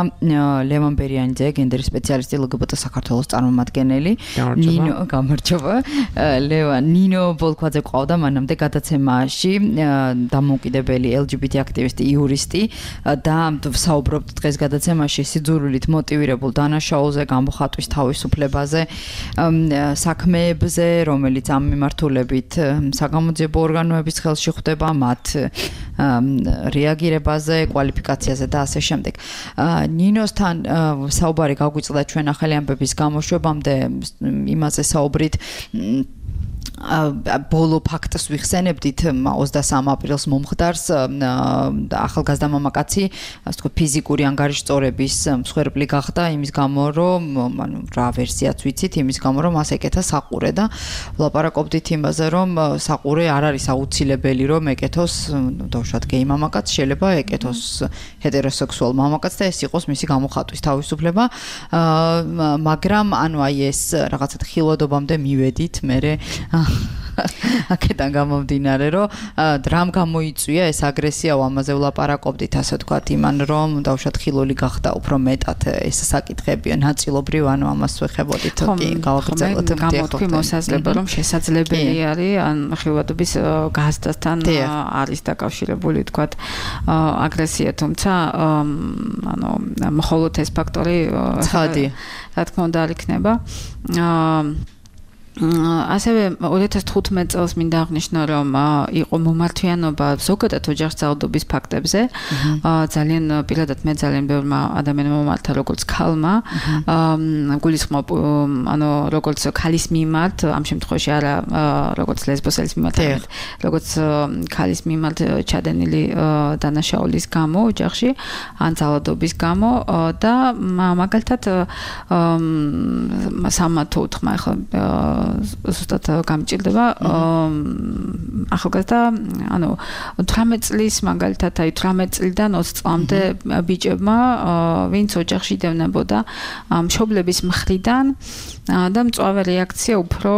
ლევან ბერიანიძე, გენდერის სპეციალისტი LGBT საქართველოს წარმომადგენელი. გამარჯობა. ლევან, ნინო ბოლქვაძე ყავდა მანამდე გადაცემაში, დამოუკიდებელი LGBT აქტივისტი, იურისტი და საუბრობთ დღეს გადაცემაში სიძულვილით მოტივირებულ დანაშაულზე, გამოხატვის თავისუფლებაზე, საქმეებზე, რომელიც ამ მიმართულებით საგამოძიებო ორგანოების ხელში ხვდება, მათ რეაგირებაზე, კვალიფიკაციაზე და ასე შემდეგ. ნინოსთან საუბარი გაგვიწყდა ჩვენ ახალი ამბების გამოშვებამდე, იმაზე საუბრით ბოლო ფაქტს ვიხსენებდით 23 აპრილს მომხდარს ახალგაზრდა მამაკაცი, ასე თქვა ფიზიკური ანგარიშწორების მსხვერპლი გახდა იმის გამო, რომ რა ვერსიაც ვიცით, იმის გამო, რომ მას ეკეთა საყურე და ვლაპარაკობდით იმაზე, რომ საყურე არ არის აუცილებელი, რომ ეკეთოს დავუშვათ გეი მამაკაც, შეიძლება ეკეთოს ჰეტეროსექსუალ მამაკაც და ეს იყოს მისი გამოხატვის თავისუფლება, მაგრამ ანუ აი ეს რაღაცა ხილვადობამდე მივედით, მე აქედან გამომდინარე, რომ რამ გამოიწვია ეს აგრესია, ამაზე ვლაპარაკობდით, ასე ვთქვათ, იმან რომ დავუშვათ ხილული გახდა უფრო მეტად ეს საკითხები, ნაწილობრივ, ანუ ამას ვეხებოდით, კი, გავაგრძელოთ. გამოთქვი მოსაზრება, რომ შესაძლებელი არის ან ხილვადობის გაზრდასთან არის დაკავშირებული, ვთქვათ, აგრესია, თუმცა ანუ მხოლოდ ეს ფაქტორი რა თქმა უნდა არ იქნება. ასევე 2015 წელს მინდა აღნიშნო, რომ იყო მომართვიანობა ზოგადად ოჯახსწავლობის ფაქტებზე. ძალიან პირადად მე ძალიან ბევრმა ადამიანმა მომართა, როგორც ქალმა, გულისხმობ, ანუ როგორც ქალის მიმართ, ამ შემთხვევაში არა როგორც ლესბოსელის მიმართ, როგორც ქალის მიმართ ჩადენილი დანაშაულის გამო ოჯახში, ან ძალადობის გამო და მაგალითად სამათო უთხრა ახლა ზუსტად გამჭირდება ახალგაზრდა, ანუ 18 წლის მაგალითად, აი 18 წლიდან 20 წლამდე ბიჭებმა, ვინც ოჯახში დევნებოდა მშობლების მხრიდან და მწვავე რეაქცია უფრო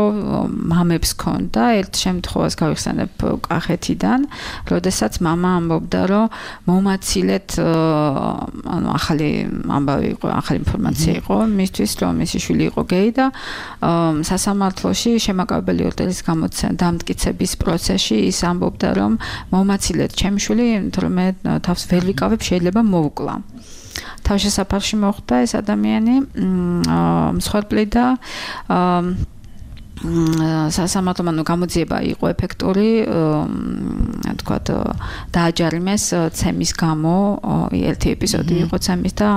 მამებს ჰქონდა. ერთ შემთხვევას გავიხსენებ კახეთიდან, როდესაც მამა ამბობდა, რომ მომაცილეთ, ანუ ახალი ამბავი იყო, ახალი ინფორმაცია იყო მისთვის, რომ მისი შვილი იყო გეი და სასამართლოში შემაკავებელი ორდერის დამტკიცების პროცესში ის ამბობდა, რომ მომაცილეთ ჩემი შვილი, იმიტომ რომ მე თავს ვერ ვიკავებ, შეიძლება მოვუკლა. თავშესაფარში მოხვდა ეს ადამიანი, მსხვერპლი და სასამართლო გამოძიება იყო ეფექტური, თქვათ, დააჯარიმეს ცემის გამო, ერთი ეპიზოდი იყო ცემის და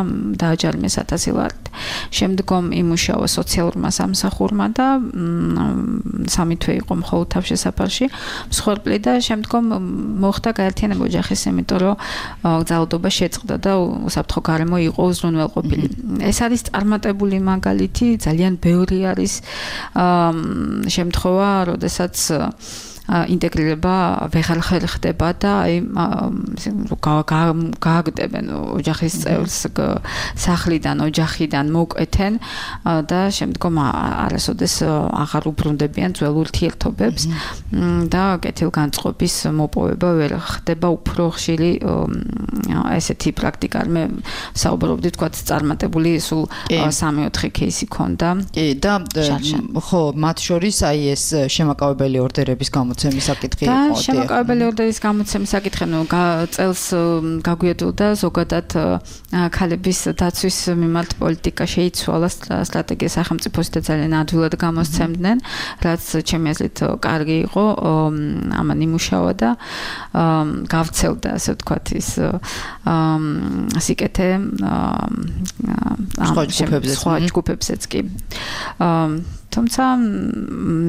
დააჯარიმეს 1000 ლარით. შემდგომ იმუშავა სოციალურმა სამსახურმა და 3 თვე იყო მხოლოდ თავშესაფარში მსხვერპლი და შემდგომ მოხდა გაერთიანება ოჯახის, იმიტომ რომ ძალადობა შეწყდა და უსაფრთხო გარემო იყო უზრუნველყოფილი. ეს არის წარმატებული მაგალითი, ძალიან ბევრი არის შემთხვევა, როდესაც ინტეგრირება ვეღარ ხდება და აი გააგდებენ ოჯახის წევრს სახლიდან, ოჯახიდან მოკვეთენ და შემდგომ არასოდეს აღარ უბრუნდებიან ძველ ურთიერთობებს და კეთილგანწყობის მოპოვება ვერ ხდება. უფრო ხშირი ესეთი პრაქტიკა მე საუბრობდი, თქვათ, წარმატებული სულ 3-4 кейსი ქონდა. კი და ხო, მათ შორის აი ეს შემაკავებელი ორდერების გამოცემის საკითხი იყო. და შემაკავებელი ორდერის გამოცემის საკითხი, ნუ წელს გაგვიადვილდა ზოგადად ქალების დაცვის მიმართ პოლიტიკა შეიცვალა, სტრატეგია სახელმწიფოს და ძალიან ადვილად გამოსცემდნენ, რაც ჩემი აზრით კარგი იყო, ამან იმუშავა და გავრცელდა, ასე ვთქვათ, ის სიკეთე სხვა ჯგუფებზეც კი. თუმცა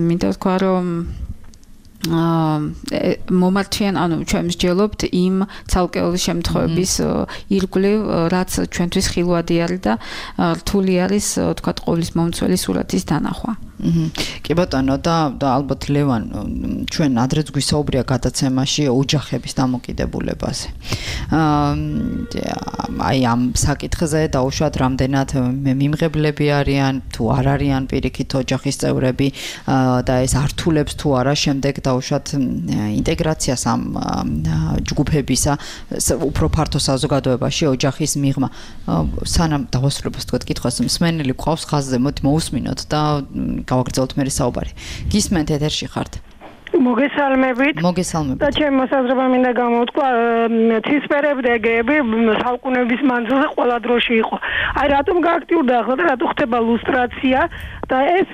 მინდა ვთქვა, რომ მომართვიან, ანუ ჩვენ მსჯელობთ იმ ცალკეული შემთხვევების ირგვლივ, რაც ჩვენთვის ხილვადი არის და რთული არის, ვთქვათ, ყოვლის მომცველი სურათის დანახვა. კი ბატონო და ალბათ ლევან ჩვენ ადრეც გვისაუბრია გადაცემაში ოჯახების დამოკიდებულებაზე. აი ამ საკითხზე დაუშვათ რამდენად მიმღებლები არიან თუ არ არიან პირიქით ოჯახის წევრები და ეს ართულებს თუ არა შემდეგ დაუშვათ ინტეგრაციას ამ ჯგუფებისა უფრო ფართო საზოგადოებაში ოჯახის მიღმა. სანამ დავასრულებთ თქვენ კითხვას მსმენელი გვყავს ხაზზე მოდი მოусმინოთ და გავაგრძელოთ მე საუბარი. გისმენთ ეთერში ხართ? მოგესალმებით. და ჩემ მოსაზრება მინდა გამოვთქვა ცისფერებდეგები საუკუნეების მანძილზე ყველა დროში იყო. აი რატომ გააქტიურდა ახლა და რატო ხდება ლუსტრაცია და ეს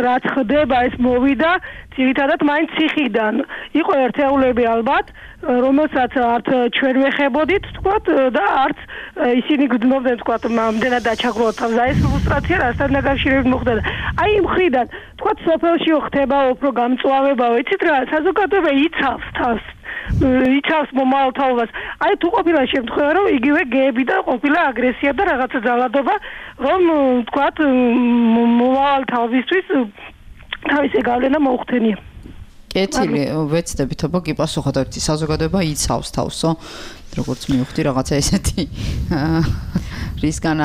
რაც ხდება ეს მოვიდა ძირითადად მაინც ციხიდან. იყო ერთეულები ალბათ რომელსაც არც ჩვენ ვეხებოდით თქვათ და არც ისინი გძნობდნენ თქვათ მამდენად დაჩაგროთ თავს და ეს ლუსტრაცია რასთან დაკავშირებით მოხდა. აი იმ ხრიდან თქვათ სოფელში ხდება უფრო გამწვავება, იცით რა, საზოგადოება იცავს თავს. იცავს მომავალ თაობას. აი თუ ყოფილა შემთხვევა რომ იგივე გეები და ყოფილა აგრესია და რაღაცა ძალადობა რომ თქვათ მომავალ თავისთვის თავისი გავლენა მოუხდენია. კეთილი ვეცდებით აბა გიპასუხოთ ერთი საზოგადოება იცავს თავსო როგორც მივხვდი რაღაცა ესეთი რისგან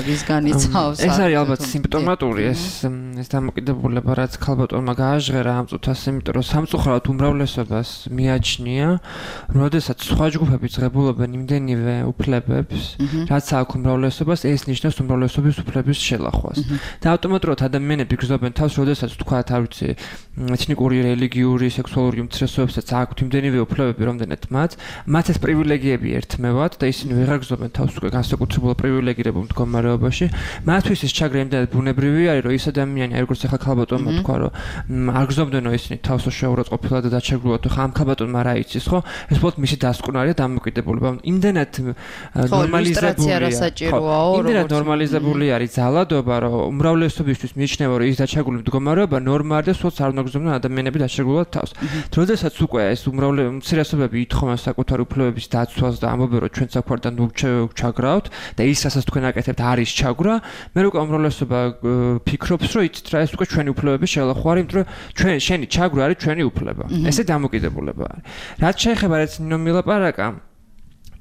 რისგან იცავს ეს არის ალბათ სიმპტომატური ეს დამოკიდებულება რაც ქალბატონმა გააჟღერა ამ წუთას იმიტომ რომ სამწუხაროდ უმრავლესობას მიაჩნია როდესაც სხვა ჯგუფები ძღებულობენ იმდენივე უფლებებს რაც აქვს უმრავლესობას ეს ნიშნავს უმრავლესობის უფლების შელახვას და ავტომატურად ადამიანები გრძნობენ თავს როდესაც თქვათ არ ვიცი ეთნიკური რელიგიური სექსუალური უმცირესობებსაც აქვთ იმდენივე უფლებები რამდენად მათ ეს პრივილეგიები ერთმევათ და ისინი ვეღარ გრძნობენ თავს უკვე განსაკუთრებულ პრივილეგირებულ მდგომარეობაში მათთვის ეს ჩაგრა იმდენად ბუნებრივი არის რომ ის ადამიანი როგორც ახლა ქალბატონმა თქვა რომ არ გრძნობდნენო ისინი თავს შეურაცხ ყოფილა და დაჩაგრულად ხო ამ ქალბატონმა რა იცის ხო ეს უბრალოდ მისი დასკვნარია დამოკიდებულება იმდენად ნორმალიზებული არის ძალადობა რომ უმრავლესობისთვის მიიჩნევა რომ ის დაჩაგრული მდგომარეობა ნორმაა და სულაც არ უნდა გრძნობდნენ ადამიანები დაჩაგრულად თავს როდესაც უკვე ეს უმცირესობები ითხოვენ საკუთარ უფლებების დაცვას და ამბობენ რომ ჩვენ საქმართან ჩაგრავთ და ის რასაც თქვენ აკეთებთ არის ჩაგვრა მე უკვე უმრავლესობა ფიქრობს რომ იცით რა ეს უკვე ჩვენი უფლებების შელახვა არის იმიტომ რომ შენი ჩაგვრა არის ჩვენი უფლება ესე დამოკიდებულება არის რაც შეეხება რაც ნინო მილაპარაკა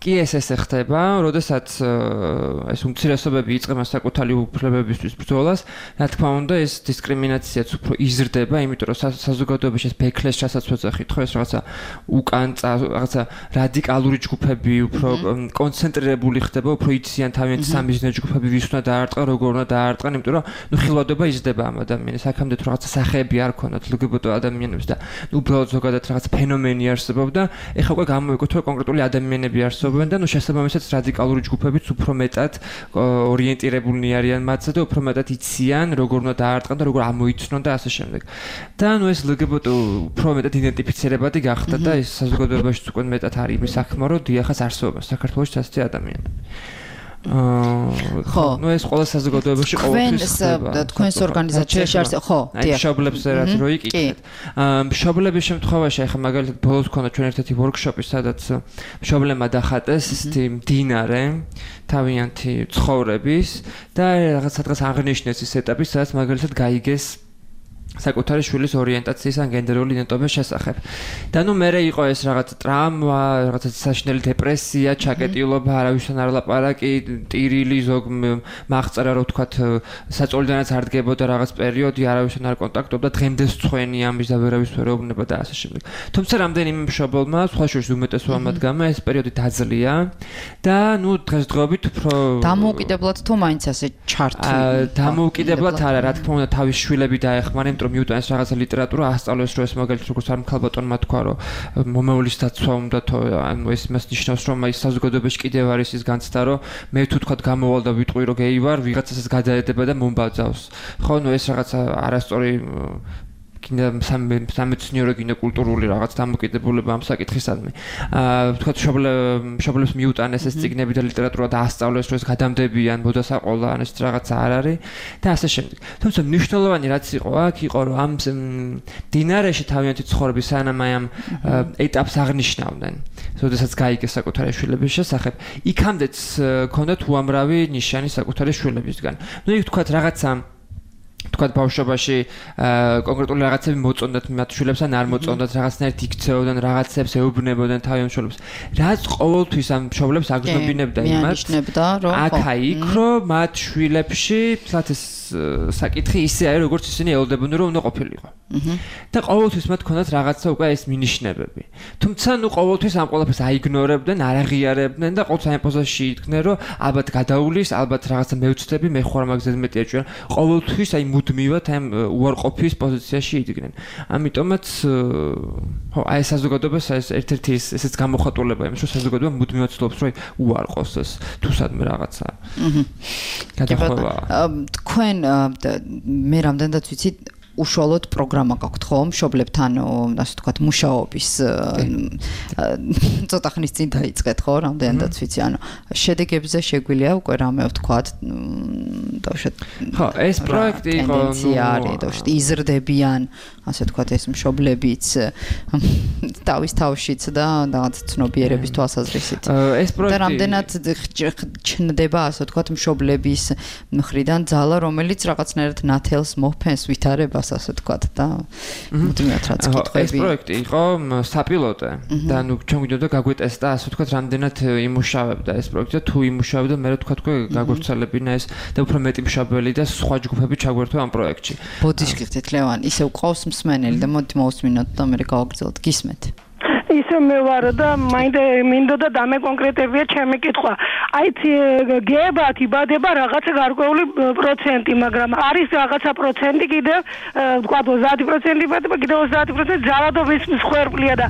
კი ეს ხდება, როდესაც ეს უმცირესობები იწყება საკუთარი უფლებებისთვის ბრძოლას, რა თქმა უნდა, ეს დისკრიმინაციაც უფრო იზრდება, იმიტომ რომ საზოგადოებაში ეს ბექლეს რასაც ვეძახით, ხო ეს რაღაცა უკან რაღაცა რადიკალური ჯგუფები უფრო კონცენტრირებული ხდება, უფრო იციან თავიანთი სამიზნე ჯგუფები ვის უნდა დაარტყა, როგორ უნდა დაარტყან, იმიტომ რომ ნუ ხილვადობა იზრდება ამ ადამიანის, აქამდე თუ რაღაცა სახეები არ ქონდათ LGBT ადამიანებს და უბრალოდ ზოგადად რაღაცა ფენომენი არსებობდა, ეხლა უკვე გამოიგოთ რომ კონკრეტული ადამიანები არსებობენ და ნუ შესაბამისად რადიკალური ჯგუფებიც უფრო მეტად ორიენტირებულნი არიან მათზე და უფრო მეტად იციან როგორ უნდა დაარტყან და როგორ ამოიცნონ და ასე შემდეგ. და ნუ ეს LGBT უფრო მეტად იდენტიფიცირებადი გახდა და ეს საზოგადოებაში უკვე მეტად არის იმის საქმე რომ დიახაც არსებობენ საქართველოში ასეთი ადამიანები. ხო, ნუ ეს ყველა საზოგადოებაში ყოველთვის ხდება. თქვენს ორგანიზაციაში არის ხო, დიახ. მშობლებს რაც რო იკითხეთ. მშობლების შემთხვევაში ახლა მაგალითად ბოლოს ქონდა ჩვენ ერთ-ერთი ვორქშოპი, სადაც მშობლებმა დახატეს ისეთი მდინარე თავიანთი ცხოვრების და რაღაც აღნიშნეს ის ეტაპი, სადაც მაგალითად გაიგეს საკუთარი შვილის ორიენტაციის ან გენდერული იდენტობის შესახებ. და ნუ მერე იყო ეს რაღაც ტრაუმა, რაღაც საშინელი დეპრესია, ჩაკეტილობა, არავისთან არ ლაპარაკი, ტირილი ზოგ მაღწარა რო ვთქვათ, საწოლიდანაც არ დგებოდა რაღაც პერიოდი, არავისთან არ კონტაქტობდა, დღემდე სწვენი ამის და ვერავის ვერ ეუბნება და ასე შემდეგ. თუმცა რამდენიმე მშობელმა, სხვა შორის უმეტესობა მათგანმა ეს პერიოდი დაძლია და ნუ დღესდღეობით უფრო დამოუკიდებლად თუ მაინც ასე ჩართული. დამოუკიდებლად არა, რა თქმა უნდა, თავის შვილები დაეხმარნენ მიუტან ეს რაღაცა ლიტერატურა ასწავლეს რომ ეს მაგალითად როგორც არ ქალბატონმა თქვა რომ მომავლის დაცვა უნდა თო ანუ ეს მას ნიშნავს რომ აი საზოგადოებაში კიდევ არის ის განცდა რომ მე თუ თქვა გამოვალ და ვიტყვი რომ გეი ვარ ვიღაცასაც გადაედება და მომბაძავს ხო ნუ ეს რაღაცა არასწორი კიდე სამეცნიერო კულტურული რაღაც დამოკიდებულება ამ საკითხისადმი. თქვა მშობლებს მიუტანეს ეს წიგნები და ლიტერატურა და ასწავლეს რომ ეს გადამდებიან მოდასაყოლა ან ეს რაღაცა არ არის და ასე შემდეგ. თუმცა მნიშვნელოვანი რაც იყო აქ იყო რომ ამ დინარეში თავიანთი ცხოვრების სანამ აი ამ ეტაპს აღნიშნავდნენ. როდესაც გაიგეს საკუთარი შვილების შესახებ, იქამდეც ქონდათ უამრავი ნიშანი საკუთარი შვილებისგან. ნუ იქ თქვა რაღაცა თქვა ბავშვობაში კონკრეტული რაღაცები მოწონდათ მათ შვილებს ან არ მოწონდათ რაღაცნაირად იქცეოდნენ რაღაცებს ეუბნებოდნენ თავი მშობლებს რაც ყოველთვის ამ მშობლებს აგრძნობინებდა იმას აქ-იქ რომ მათ შვილებში თლათ ეს საკითხი ისე არის როგორც ისინი ელოდებოდნენ რომ უნდა ყოფილიყო და ყოველთვის მათ ქონდათ რაღაცა უკვე ეს მინიშნებები თუმცა ნუ ყოველთვის ამ ყველაფერს აიგნორებდნენ არ აღიარებდნენ და ყოველთვის ამ პოზიციაში იდგნენ რომ ალბათ გადაულის ალბათ რაღაცა მევცდები მე ხوار მაგზეზე მეტი ეჭვია ყოველთვის აი მუდმივად ამ უარყოფის პოზიციაში იდგნენ ამიტომაც ხო აი საზოგადოებას ეს ერთ-ერთი ესეც გამოხატულებაა იმის რომ საზოგადოება მუდმივად ცდილობს რომ უარყოს ეს თუ სადმე რაღაცა გადახვევა თქვენ მე რამდენადაც ვიცი უშუალოდ პროგრამა გაქვთ ხო მშობლებთან ასე ვთქვათ მუშაობის ცოტა ხნის წინ დაიწყეთ ხო რამდენადაც ვიცი ანუ შედეგებზე შეგვიძლია უკვე რამე ვთქვათ დავშეთ ხო ეს პროექტი იყო დავშეთ იზრდებიან ასე ვთქვათ ეს მშობლებიც თავის თავშიც და რაღაც ცნობიერების თვალსაზრისით ეს პროექტი და რამდენად ჩნდება ასე ვთქვათ მშობლების მხრიდან ძალა რომელიც რაღაცნაირად ნათელს მოჰფენს ვითარებას ასე ვთქვათ და მუდმივად რაც კითხვები ეს პროექტი იყო საპილოტე და ნუ ჩვენ გვინდოდა გაგვეტესტა ასე ვთქვათ რამდენად იმუშავებდა ეს პროექტი და თუ იმუშავებდა მე რა ვთქვათ გაგვეცალებინა ეს და უფრო მეტი მშობელი და სხვა ჯგუფები ჩაგვერთვა ამ პროექტში ბოდიშკით ლევან ისევ ყავს მსმენელი და მოდი მოვუსმინოთ და მე გავაგრძელოთ გისმენთ ისე მე ვარ და მინდოდა დამეკონკრეტებია ჩემი კითხვა. აი გეებათ იბადება რაღაცა გარკვეული პროცენტი, მაგრამ არის რაღაცა პროცენტი კიდევ თქვა 30% იბადება, კიდევ 30% ძალადობის მსხვერპლია და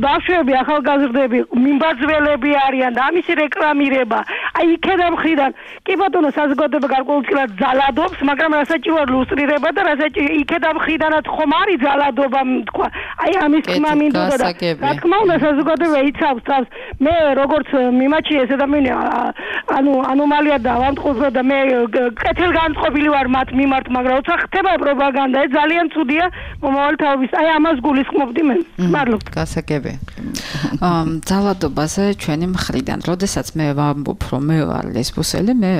ბავშვები, ახალგაზრდები, მიმბაძველები არიან და ამისი რეკლამირება. აი იქედან მხრიდან კი ბატონო საზოგადოება გარკვეულწილად ძალადობს, მაგრამ რასაჭიროა ლუსტრირება და იქედან მხრიდანაც ხომ არის ძალადობა, თქვა. აი ამის თქმა მინდოდა და რა თქმა უნდა საზოგადოება იცავს თავს მე როგორც მიმაჩი ეს ადამიანი ანუ ანომალია დავამტყუზო და მე კეთილგანწყობილი ვარ მათ მიმართ მაგრამ როცა ხდება პროპაგანდა ეს ძალიან ცუდია მომავალ თავის აი ამას გულისხმობდი მე მადლობთ გასაგები ძალადობაზე ჩვენი მხრიდან როდესაც მე ვამბობ რომ მე ვარ ლესბოსელი მე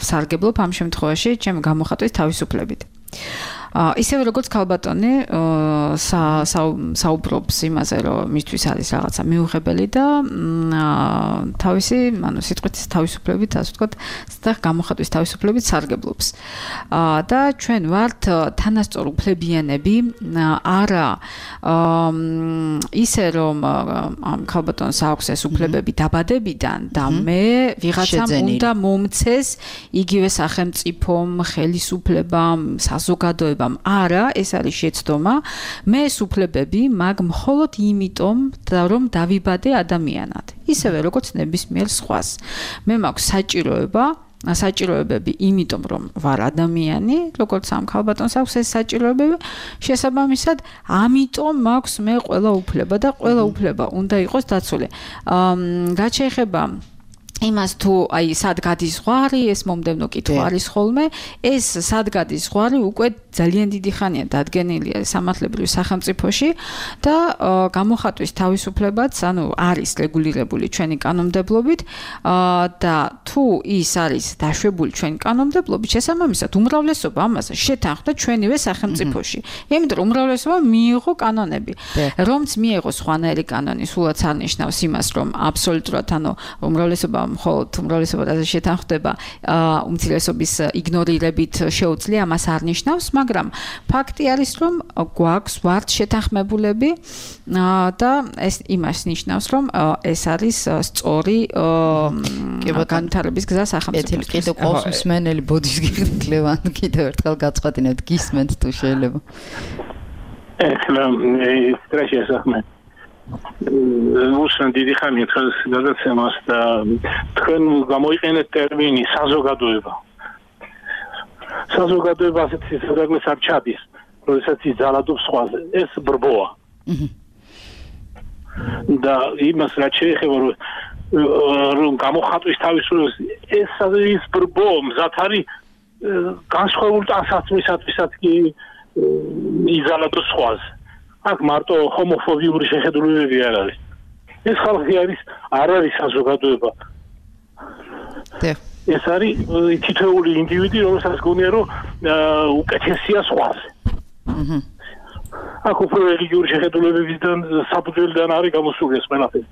სარგებლობ ამ შემთხვევაში ჩემი გამოხატვის თავისუფლებით ისევე როგორც ქალბატონი საუბრობს იმაზე რომ მისთვის არის რაღაცა მიუღებელი და თავისი ანუ სიტყვის თავისუფლებით ასე ვთქვათ და გამოხატვის თავისუფლებით სარგებლობს და ჩვენ ვართ თანასწორ უფლებიანები არა ისე რომ ამ ქალბატონს აქვს ეს უფლებები დაბადებიდან და მე ვიღაცამ უნდა მომცეს იგივე სახელმწიფომ ხელისუფლებამ საზოგადოებამ არა ეს არის შეცდომა მე სუფლებები მაგ მხოლოდ იმიტომ რომ დავიბადე ადამიანად ისევე როგორც ნებისმიერ სხვას მე მაქვს საჭიროებები იმიტომ რომ ვარ ადამიანი როგორც ამ ქალბატონს აქვს ეს საჭიროებები შესაბამისად ამიტომ მაქვს მე ყველა უფლება და ყველა უფლება უნდა იყოს დაცული რაც შეეხება იმას თუ აი სად გადის ზღვარი ეს მომდევნო კითხვა არის ხოლმე ეს სად გადის ზღვარი უკვე ძალიან დიდი ხანია დადგენილია სამართლებრივ სახელმწიფოში და გამოხატვის თავისუფლებაც ანუ არის რეგულირებული ჩვენი კანონმდებლობით და თუ ის არის დაშვებული ჩვენი კანონმდებლობით შესაბამისად უმრავლესობა ამას შეთანხმდა ჩვენივე სახელმწიფოში იმიტომ რომ უმრავლესობა მიიღო კანონები რომც მიიღო სხვანაირი კანონი სულაც არ ნიშნავს იმას რომ აბსოლუტურად ანუ უმრავლესობა მხოლოდ უმრავლესობაზე შეთანხმდება უმცირესობის იგნორირებით შეუძლია ამას არ ნიშნავს მაგრამ ფაქტი არის რომ გვაქვს ვართ შეთანხმებულები და ეს იმას ნიშნავს რომ ეს არის სწორი განვითარების გზა სახელმწიფოს კიდევ ყავს მსმენელი ბოდიშკით ლევან კიდევ ერთხელ გაწყვეტინებთ გისმენთ თუ შეიძლება ეხლა სტრესი ახმე უსან დიდი ხანია ხელს გადაცემას და თქვენ გამოიყენეთ ტერმინი საზოგადოება ასეთი საგანს არ ჩადის როდესაც ის ძალადობს სხვაზე ეს ბრბოა და იმას რაც შეეხება რომ გამოხატვის თავისუფლებას ეს ის ბრბო მზად არის განსხვავებულ ტანსაცმლისათვისაც კი იზალადოს სხვაზე აქ მარტო ჰომოფობიური შეხედულებები არ არის. ეს ხალხი არ არის საზოგადოება. ეს არის თითოეული ინდივიდი, რომელსაც გონია რომ უკეთესია სხვაზე. აქ უფრო რელიგიური შეხედულებებიდან საფუძველიდან არის გამოსული ეს ყველაფერი.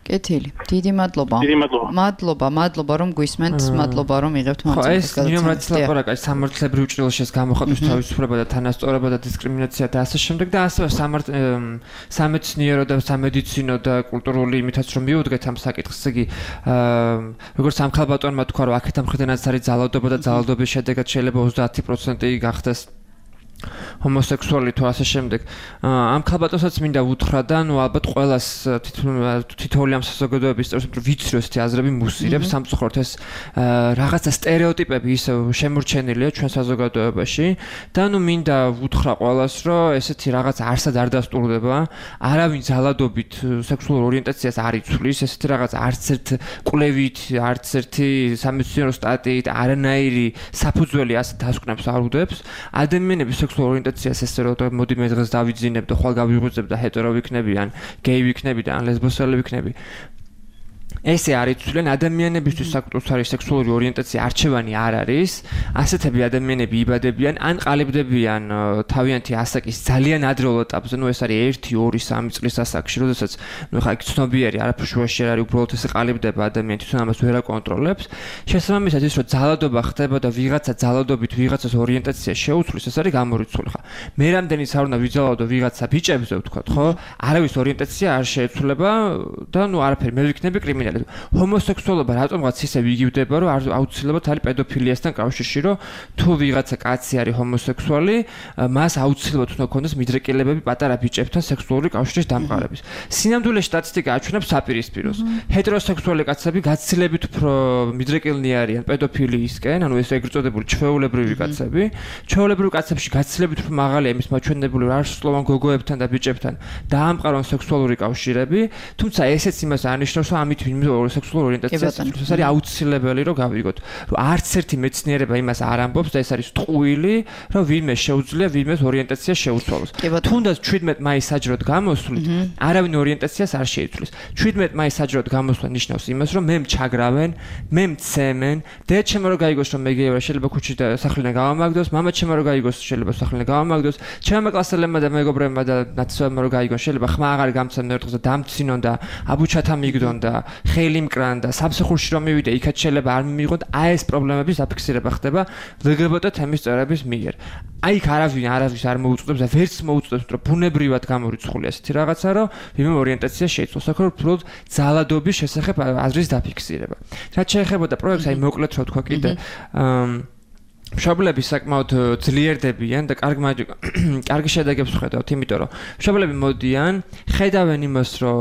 კეთილი. დიდი მადლობა. მადლობა რომ გვისმენთ, მადლობა რომ იღებთ მონაწილეობას. ხო, ეს ნიუ რაც ლაპარაკა სამართლებრივ ჭრილშეს გამოხატვის თავისუფლება და თანასწორობა და დისკრიმინაცია და ასე შემდეგ და ასევე სამეცნიერო და სამედიცინო და კულტურული იმითაც რომ მიუდგეთ ამ საკითხს, იგი როგორც სამხალბატონმა თქვა რომ აქეთ ამხიდანაც არის ძალადობა და ძალადობის შედეგად შეიძლება 30% გახდეს ჰომოსექსუალი თუ ასე შემდეგ. ამ ხალბატონსაც მინდა უთხრა და ნუ ალბათ ყველას თითოეული ამ საზოგადოების წევრს ვიცრი ესეთი აზრები მუსირებს სამწუხაროდ ეს რაღაცა სტერეოტიპები ისე შემორჩენილია ჩვენ საზოგადოებაში და ნუ მინდა უთხრა ყველას რომ ესეთი რაღაც არსად არ დასტურდება არავინ ძალადობით სექსუალურ ორიენტაციას არ იცვლის ესეთი რაღაც არც ერთ კვლევით არც ერთი სამეცნიერო სტატიით არანაირი საფუძველი ასე დასკვნებს არ უდებს ადამიანების სექსუალურ ორიენტაციას ესე რომ მოდი მე დღეს დავიძინებ და ხვალ გავიღვიძებ და ჰეტერო ვიქნები ან გეი ვიქნები და ან ლესბოსელი ვიქნები ესე არ იცვლენ ადამიანებისთვის საკუთარი სექსუალური ორიენტაცია არჩევანი არ არის ასეთები ადამიანები იბადებიან ან ყალიბდებიან თავიანთი ასაკის ძალიან ადრეულ ეტაპზე ნუ ეს არის 1 2 3 წლის ასაკში როდესაც ნუ ხა იქ ცნობიერი არაფერ შუაში არ არის უბრალოდ ესე ყალიბდება ადამიანი თვითონ ამას ვერ აკონტროლებს შესაბამისად ის რომ ძალადობა ხდება და ვიღაცა ძალადობით ვიღაცას ორიენტაცია შეუცვლის ეს არის გამორიცხული ხა მე რამდენიც არ უნდა ვიძალადო ვიღაცა ბიჭებზე ვთქვათ ხო არავის ორიენტაცია არ შეეცვლება და ნუ არაფერი მე ვიქნები კრიმინალი ჰომოსექსუალობა რატომღაც ისე ვიგივდება რომ აუცილებლად არის პედოფილიასთან კავშირში რომ თუ ვიღაცა კაცი არის ჰომოსექსუალი მას აუცილებლად უნდა ქონდეს მიდრეკილებები პატარა ბიჭებთან სექსუალური კავშირის დამყარების სინამდვილეში სტატისტიკა აჩვენებს საპირისპიროს ჰეტეროსექსუალი კაცები გაცილებით უფრო მიდრეკილნი არიან პედოფილიისკენ ანუ ეს ეგრეთ წოდებული ჩვეულებრივი კაცები ჩვეულებრივ კაცებში გაცილებით უფრო მაღალია იმის მაჩვენებელი რომ არასრულოვან გოგოებთან და ბიჭებთან დაამყარონ სექსუალური კავშირები თუმცა ესეც იმას არნიშნავს რომ ამით სექსუალური ორიენტაცია ეს არის აუცილებელი რომ გავიგოთ რომ არც ერთი მეცნიერება იმას არ ამბობს და ეს არის ტყუილი რომ ვინმე შეუძლია ვინმეს ორიენტაცია შეუცვალოს თუნდაც 17 მაისს საჯაროდ გამოსვლით არავინ ორიენტაციას არ შეიცვლის 17 მაისს საჯაროდ გამოსვლა ნიშნავს იმას რომ მე მჩაგრავენ მე მცემენ და ჩემო რომ გაიგოს რომ მე გეივრა შეიძლება ქუჩით და სახლიდან გავამაგდოს მამა ჩემო რომ გაიგოს შეიძლება სახლიდან გავამაგდოს ჩემო კლასელებმა და მეგობრებმა და ნაცნობმა რომ გაიგონ შეიძლება ხმა აღარ გამცემ ერთდღეს და დამცინონ და აბუჩათა მიგდონ და ხელი მკრან და სამსახურში რომ მივიდე იქაც შეიძლება არ მიიღოთ აი ეს პრობლემების დაფიქსირება ხდება ლგბტ თემის წევრების მიერ აი იქ არავინ არ მოუწოდებს და ვერც მოუწოდებს რომ ბუნებრივად გამორიცხულია ესეთი რაღაცა რომ ვინმე ორიენტაცია შეიცვალოს აქ უფრო ძალადობის შესახებ აზრის დაფიქსირება რაც შეეხება და პროექტს აი მოკლედ რო თქვა კიდე მშობლები საკმაოდ ძლიერდებიან და კარგი შედეგებს ხედავთ, იმიტომ რომ მშობლები მოდიან, ხედავენ იმას, რომ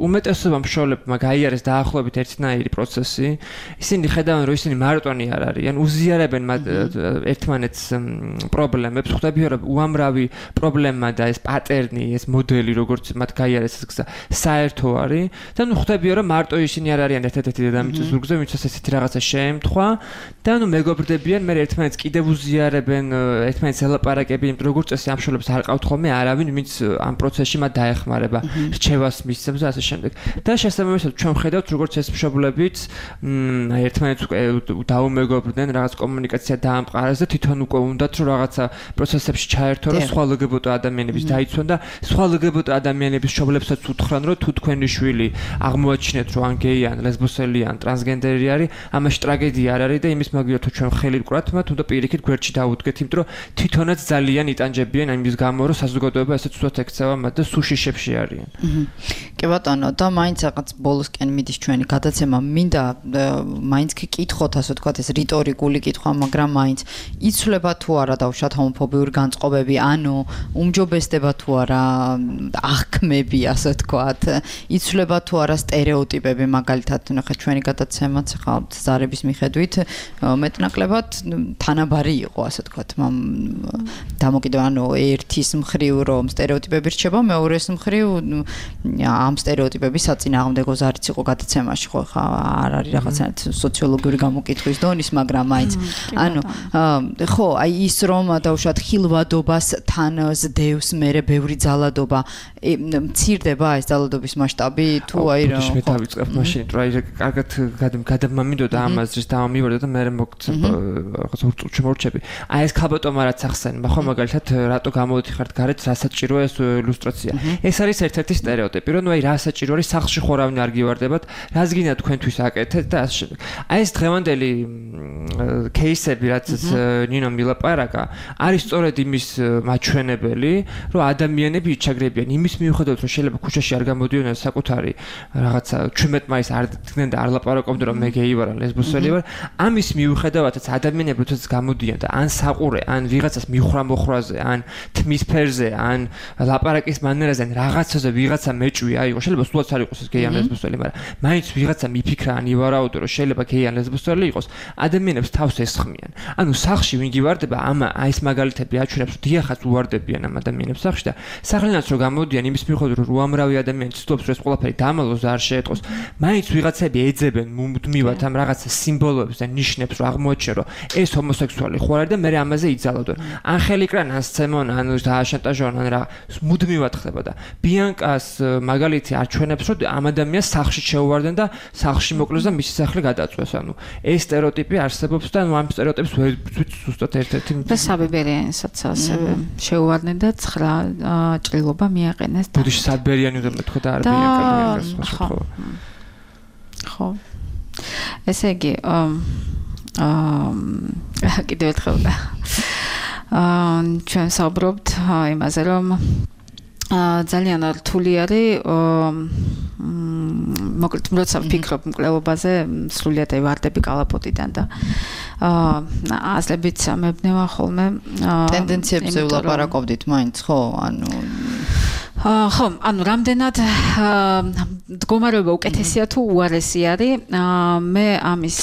უმეტესობა მშობლებმა გაიარეს დაახლოებით ერთნაირი პროცესი, ისინი ხედავენ, რომ ისინი მარტონი არ არიან, უზიარებენ ერთმანეთს პრობლემებს, ხვდებიან, რომ უამრავი პრობლემა და ეს პატერნი, ეს მოდელი, როგორც მათ გაიარეს ეს გზა, საერთო არის და ნუ ხვდებიან, რომ მარტო ისინი არ არიან ერთ-ერთი დედამიწის ზურგზე, ვინცაც ესეთი რაღაცა შეემთხვა და ნუ მეგობრდებიან, მე ერთმანეთს კიდევ უზიარებენ ერთმანეთს ელაპარაკებენ, იმიტომ როგორც წესი ამ შოლებს არ ყავთ ხოლმე არავინ, ვინც ამ პროცესში მათ დაეხმარება, რჩევას მისცემს და ასე შემდეგ. და შესაბამისად ჩვენ ხედავთ, როგორც ეს მშობლებიც ერთმანეთს დაუმეგობრდნენ, რაღაც კომუნიკაცია დაამყარეს და თვითონ უკვე უნდათ რომ რაღაცა პროცესებში ჩაერთონ, რომ სხვა ლგბტ ადამიანების დაიცვან და სხვა ლგბტ ადამიანების მშობლებსაც უთხრან, რომ თუ თქვენი შვილი აღმოაჩინეთ, რომ ან გეი, ან ლესბოსელი, ან ტრანსგენდერი არის, ამაში ტრაგედია არ არის და იმის მაგივრად თუ ჩვენ ხელი ვკვრათ, მათ უნდა პირიქით გვერდში დაუდგეთ, იმიტომ რომ თვითონაც ძალიან იტანჯებიან ამის გამო, რომ საზოგადოება ესეც უცბად ექცევა მათ და სუშიშებში არიან. კი ბატონო, და მაინც რაღაც ბოლოსკენ მიდის ჩვენი გადაცემა, მინდა მაინც კითხოთ, ასე ვთქვათ, ეს რიტორიკული კითხვა, მაგრამ მაინც იცვლება თუ არა დავუშვათ ჰომოფობიური განწყობები, ანუ უმჯობესდება თუ არა აღქმები, ასე ვთქვათ, იცვლება თუ არა სტერეოტიპები, მაგალითად, ნახე ჩვენი გადაცემაც ხალხ ზარების მიხედვით მეტნაკლებად თანაბარი იყო, ასე ვთქვათ, დამოკიდე ანუ ერთის მხრივ რომ სტერეოტიპები რჩება, მეორეს მხრივ ამ სტერეოტიპების საწინააღმდეგო ზარიც იყო გადაცემაში, ხო, ხა არ არის რაღაცა სოციოლოგიური გამოკითხვის დონის, მაგრამ მაინც ანუ ხო, აი ის რომ დაუშვათ ხილვადობას თან ზდევს მერე ბევრი ძალადობა, მცირდება ეს ძალადობის მასშტაბი თუ აი რა ხო დავიწყებ მაშინ, რა კარგად გადამამინდოდა ამაზრის დამამივარდა და მე რაღაცა ურჩები. აი ეს ქალბატონმა რაც ახსენება, ხო მაგალითად რატო გამოვიდიხართ გარეთ, რა საჭიროა ეს ილუსტრაცია. ეს არის ერთ-ერთი სტერეოტიპი, რომ აი რა საჭირო არის სახლში ხორავინ არ გივარდებათ, რას გინდა თქვენთვის აკეთეთ და ასე შემდეგ. აი ეს დღევანდელი кейსები, რაც ნინო მილაპარაკა, არის სწორედ იმის მაჩვენებელი, რომ ადამიანები იჩაგრებიან იმის მიუხედავად, რომ შეიძლება ქუჩაში არ გამოდიოდნენ საკუთარი რაღაცა 17 მაისს არ დგნენ და არ ლაპარაკობდნენ, რომ მე გეი ვარ, ლესბოსელი ვარ, ამის მიუხედავადაც ადამიანები თვითონ გამოდიან და ან საყურე, ან ვიღაცას მიხრა-მოხრაზე, ან თმის ფერზე, ან ლაპარაკის მანერაზე, ან რაღაცაზე ვიღაცა მეჭვი აიღო, შეიძლება სულაც არ იყოს ეს გეი ან ლესბოსელი, მაგრამ მაინც ვიღაცა მიფიქრა ან ივარაუდო, რომ შეიძლება გეი ან ლესბოსელი იყოს, ადამიანებს თავს ესხმიან. ანუ სახლში ვინ გივარდება, აი ეს მაგალითები აჩვენებს, რომ დიახაც უვარდებიან ამ ადამიანებს სახლში და სახლიანაც რომ გამოდიან იმის მიუხედავად, რომ უამრავი ადამიანი ცდილობს, რომ ეს ყველაფერი დამალოს არ შეეტყოს, მაინც ვიღაცები ეძებენ მუდმივად ამ რაღაცა სიმბოლოებს და ნიშნებს, რომ აღმოაჩინონ, რომ ეს ჰომოსექსუალი ხო არის და მე ამაზე იძალოდო. ან ხელიკრან, ან სცემონ, ან დააშანტაჟონ, ან რა მუდმივად ხდება და ბიანკას მაგალითი აჩვენებს, რომ ამ ადამიანს სახლში შეუვარდნენ და სახლში მოკლეს და მისი სახლი გადაწვეს. ანუ ეს სტერეოტიპი არსებობს და ამ სტერეოტიპს ვერ ზუსტად ერთ-ერთი და საბებერიანსაც ასევე შეუვარდნენ და 9 ჭრილობა მიაყენეს და ბუდიში საბერიანი უნდა მეთქვა და არ ბიანკას ხო ესე იგი კიდევ ერთხელ ჩვენ საუბრობთ იმაზე რომ ძალიან რთული არის მოკლედ როცა ვფიქრობ მკვლელობაზე სრულიად ვარდები კალაპოტიდან და აზრებით მებნევა ხოლმე ტენდენციებზე ვლაპარაკობდით მაინც ხო ანუ ხო, ანუ რამდენად მდგომარეობა უკეთესია თუ უარესი არის, მე ამის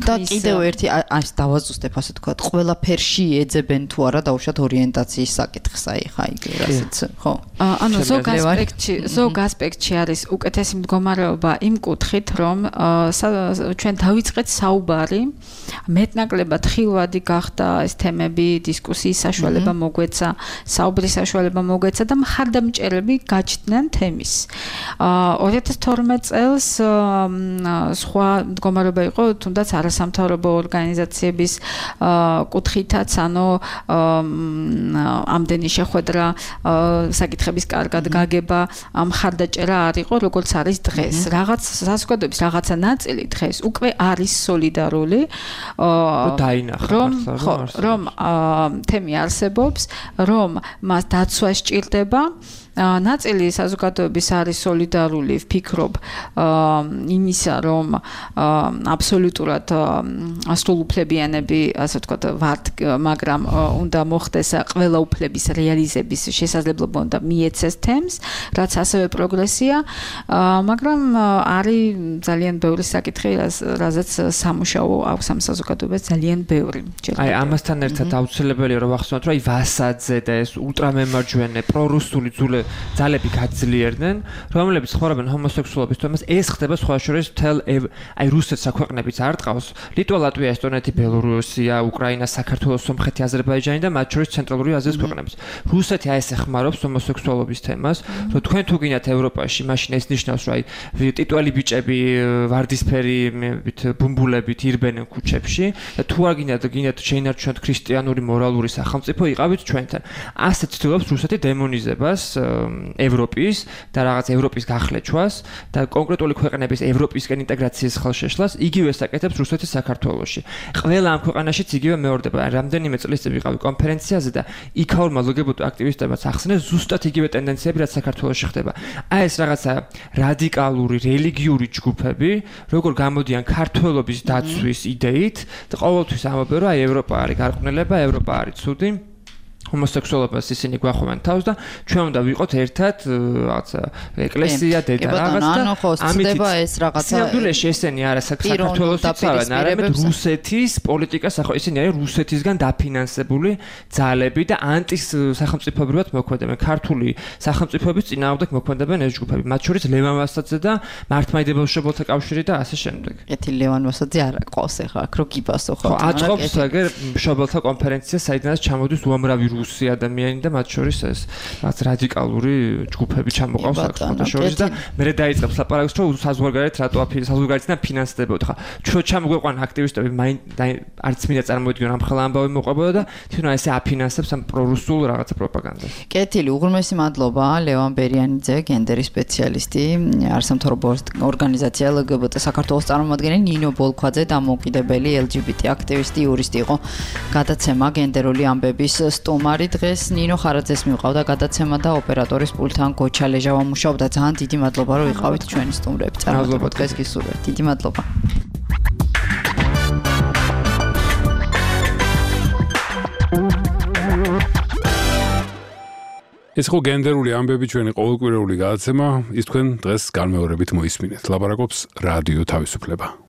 და კიდევ ერთი ας დავაზუსტებ ასე თქვა, ყველაფერში ეძებენ თუ არა დაუშვათ ორიენტაციის საკითხს, აი ხა იგი რასაც, ხო? ანუ ზოგ ასპექტში არის უკეთესი მდგომარეობა იმ კუთხით, რომ ჩვენ დავიწყეთ საუბარი, მეტნაკლებად ხილვადი გახდა ეს თემები, დისკუსიის საშუალება მოგვეცა, საუბრის საშუალება მოგვეცა და მხარდამჭერები გაჩნდნენ თემის. 2012 წელს სხვა მდგომარეობა იყო, თუნდაც არასამთავრობო ორგანიზაციების კუთხითაც, ანუ ამდენი შეხვედრა, საკითხების კარგად გაგება, მხარდაჭერა არ იყო, როგორც არის დღეს. რაღაც საზოგადოების რაღაცა ნაწილი დღეს უკვე არის სოლიდარული, რომ თემი არსებობს, რომ მას დაცვა სჭირდება. ნაწილი საზოგადოების არის სოლიდარული, ვფიქრობ, იმისა, რომ აბსოლუტურად სრულუფლებიანები, ასე ვთქვათ, ვართ, მაგრამ უნდა მოხდეს ყველა უფლების რეალიზების შესაძლებლობა და მიეცეს თემს, რაც ასევე პროგრესია, მაგრამ არის ძალიან ბევრი საკითხი, რაზეც სამუშაო აქვს ამ საზოგადოებას ძალიან ბევრი. აი, ამასთან ერთად აუცილებელია რომ ვახსენოთ, რომ აი ვასაძე და ეს ულტრამემარჯვენე პრორუსული ძალები გაძლიერდნენ, რომლებიც ხმარობენ ჰომოსექსუალობის თემას, ეს ხდება სხვა შორის მთელ აი რუსეთსა ქვეყნებიც არ ტყავს, ლიტვა, ლატვია, ესტონეთი, ბელორუსია, უკრაინა, საქართველო, სომხეთი, აზერბაიჯანი და მათ შორის ცენტრალური აზიის ქვეყნებიც. რუსეთი აი ეს ეხმარობს ჰომოსექსუალობის თემას, რომ თქვენ თუ გინდათ ევროპაში, მაშინ ეს ნიშნავს, რომ აი ტიტველი ბიჭები ვარდისფერით ბუმბულებით ირბენენ ქუჩებში და თუ არ გინდათ შეინარჩუნოთ ქრისტიანული მორალური სახელმწიფო, იყავით ჩვენთან. ასე ცდილობს რუსეთი დემონიზებას ევროპის და რაღაც ევროპის გახლეჩვას და კონკრეტული ქვეყნების ევროპისკენ ინტეგრაციის ხელშეშლას იგივე საკეთებს რუსეთის საქართველოში. ყველა ამ ქვეყანაშიც იგივე მეორდება. რამდენიმე წლის წინ ვიყავი კონფერენციაზე და იქაურმა ლგბტ აქტივისტებმაც ახსენეს ზუსტად იგივე ტენდენციები, რაც საქართველოში ხდება. აი ეს რაღაცა რადიკალური რელიგიური ჯგუფები, როგორ გამოდიან ქართველობის დაცვის იდეით და ყოველთვის ამბობენ, რომ აი ევროპა არის გარყვნილება, ევროპა არის ცუდი. ჰომოსექსუალობას ისინი გვახვევენ თავს და ჩვენ უნდა ვიყოთ ერთად რაღაცა ეკლესია, დედა რაღაც და ამით ეს რაღაცა სიამდვილეში ესენი არა საქართველოსიც არამედ რუსეთის პოლიტიკას ახო ისინი არის რუსეთისგან დაფინანსებული ძალები და ანტისახელმწიფოებრივად მოქმედებენ. ქართული სახელმწიფოების წინააღმდეგ მოქმედებენ ეს ჯგუფები. მათ შორის ლევან ვასაძე და მართლმადიდებელ მშობელთა კავშირი და ასე შემდეგ. ეთი ლევან ვასაძე არა ყავს ახლა აქ რო გიპასო ხო? აწყობს აგერ მშობელთა კონფერენცია, საიდანაც ჩამოდის უამრავი რუსი ადამიანი და მათ შორის ეს რაც რადიკალური ჯგუფები ჩამოყავს საქართველოს შორის და მე დაიწყებს ლაპარაკს რომ საზღვარგარეთ რატო საზღვარგარეთიდან ფინანსდებოდა. ხა ჩვენ ჩამოგვეყვანა აქტივისტები არც მინდა წარმოიდგინო ამ ხელა ამბავი მოყვებოდა და თვითონ ესე აფინანსებს ამ პრორუსულ რაღაცა პროპაგანდას. კეთილი, უღრმესი მადლობა ლევან ბერიანიძე, გენდერის სპეციალისტი, არასამთავრობო ორგანიზაცია LGBT საქართველოს წარმომადგენელი ნინო ბოლქვაძე, დამოუკიდებელი LGBT აქტივისტი, იურისტი იყო. გადაცემა გენდერული ამბების სტუმარი დღეს ნინო ხარაძეს მივყავდა გადაცემა და ოპერატორის პულთან გოჩა ლეჟავა მუშაობდა. ძალიან დიდი მადლობა რომ იყავით ჩვენი სტუმრები. წარმატებულ დღეს გისურვებთ. დიდი მადლობა. ეს ხო გენდერული ამბები ჩვენი ყოველკვირეული გადაცემა, ის თქვენ დღეს განმეორებით მოისმინეთ. ლაპარაკობს რადიო თავისუფლება.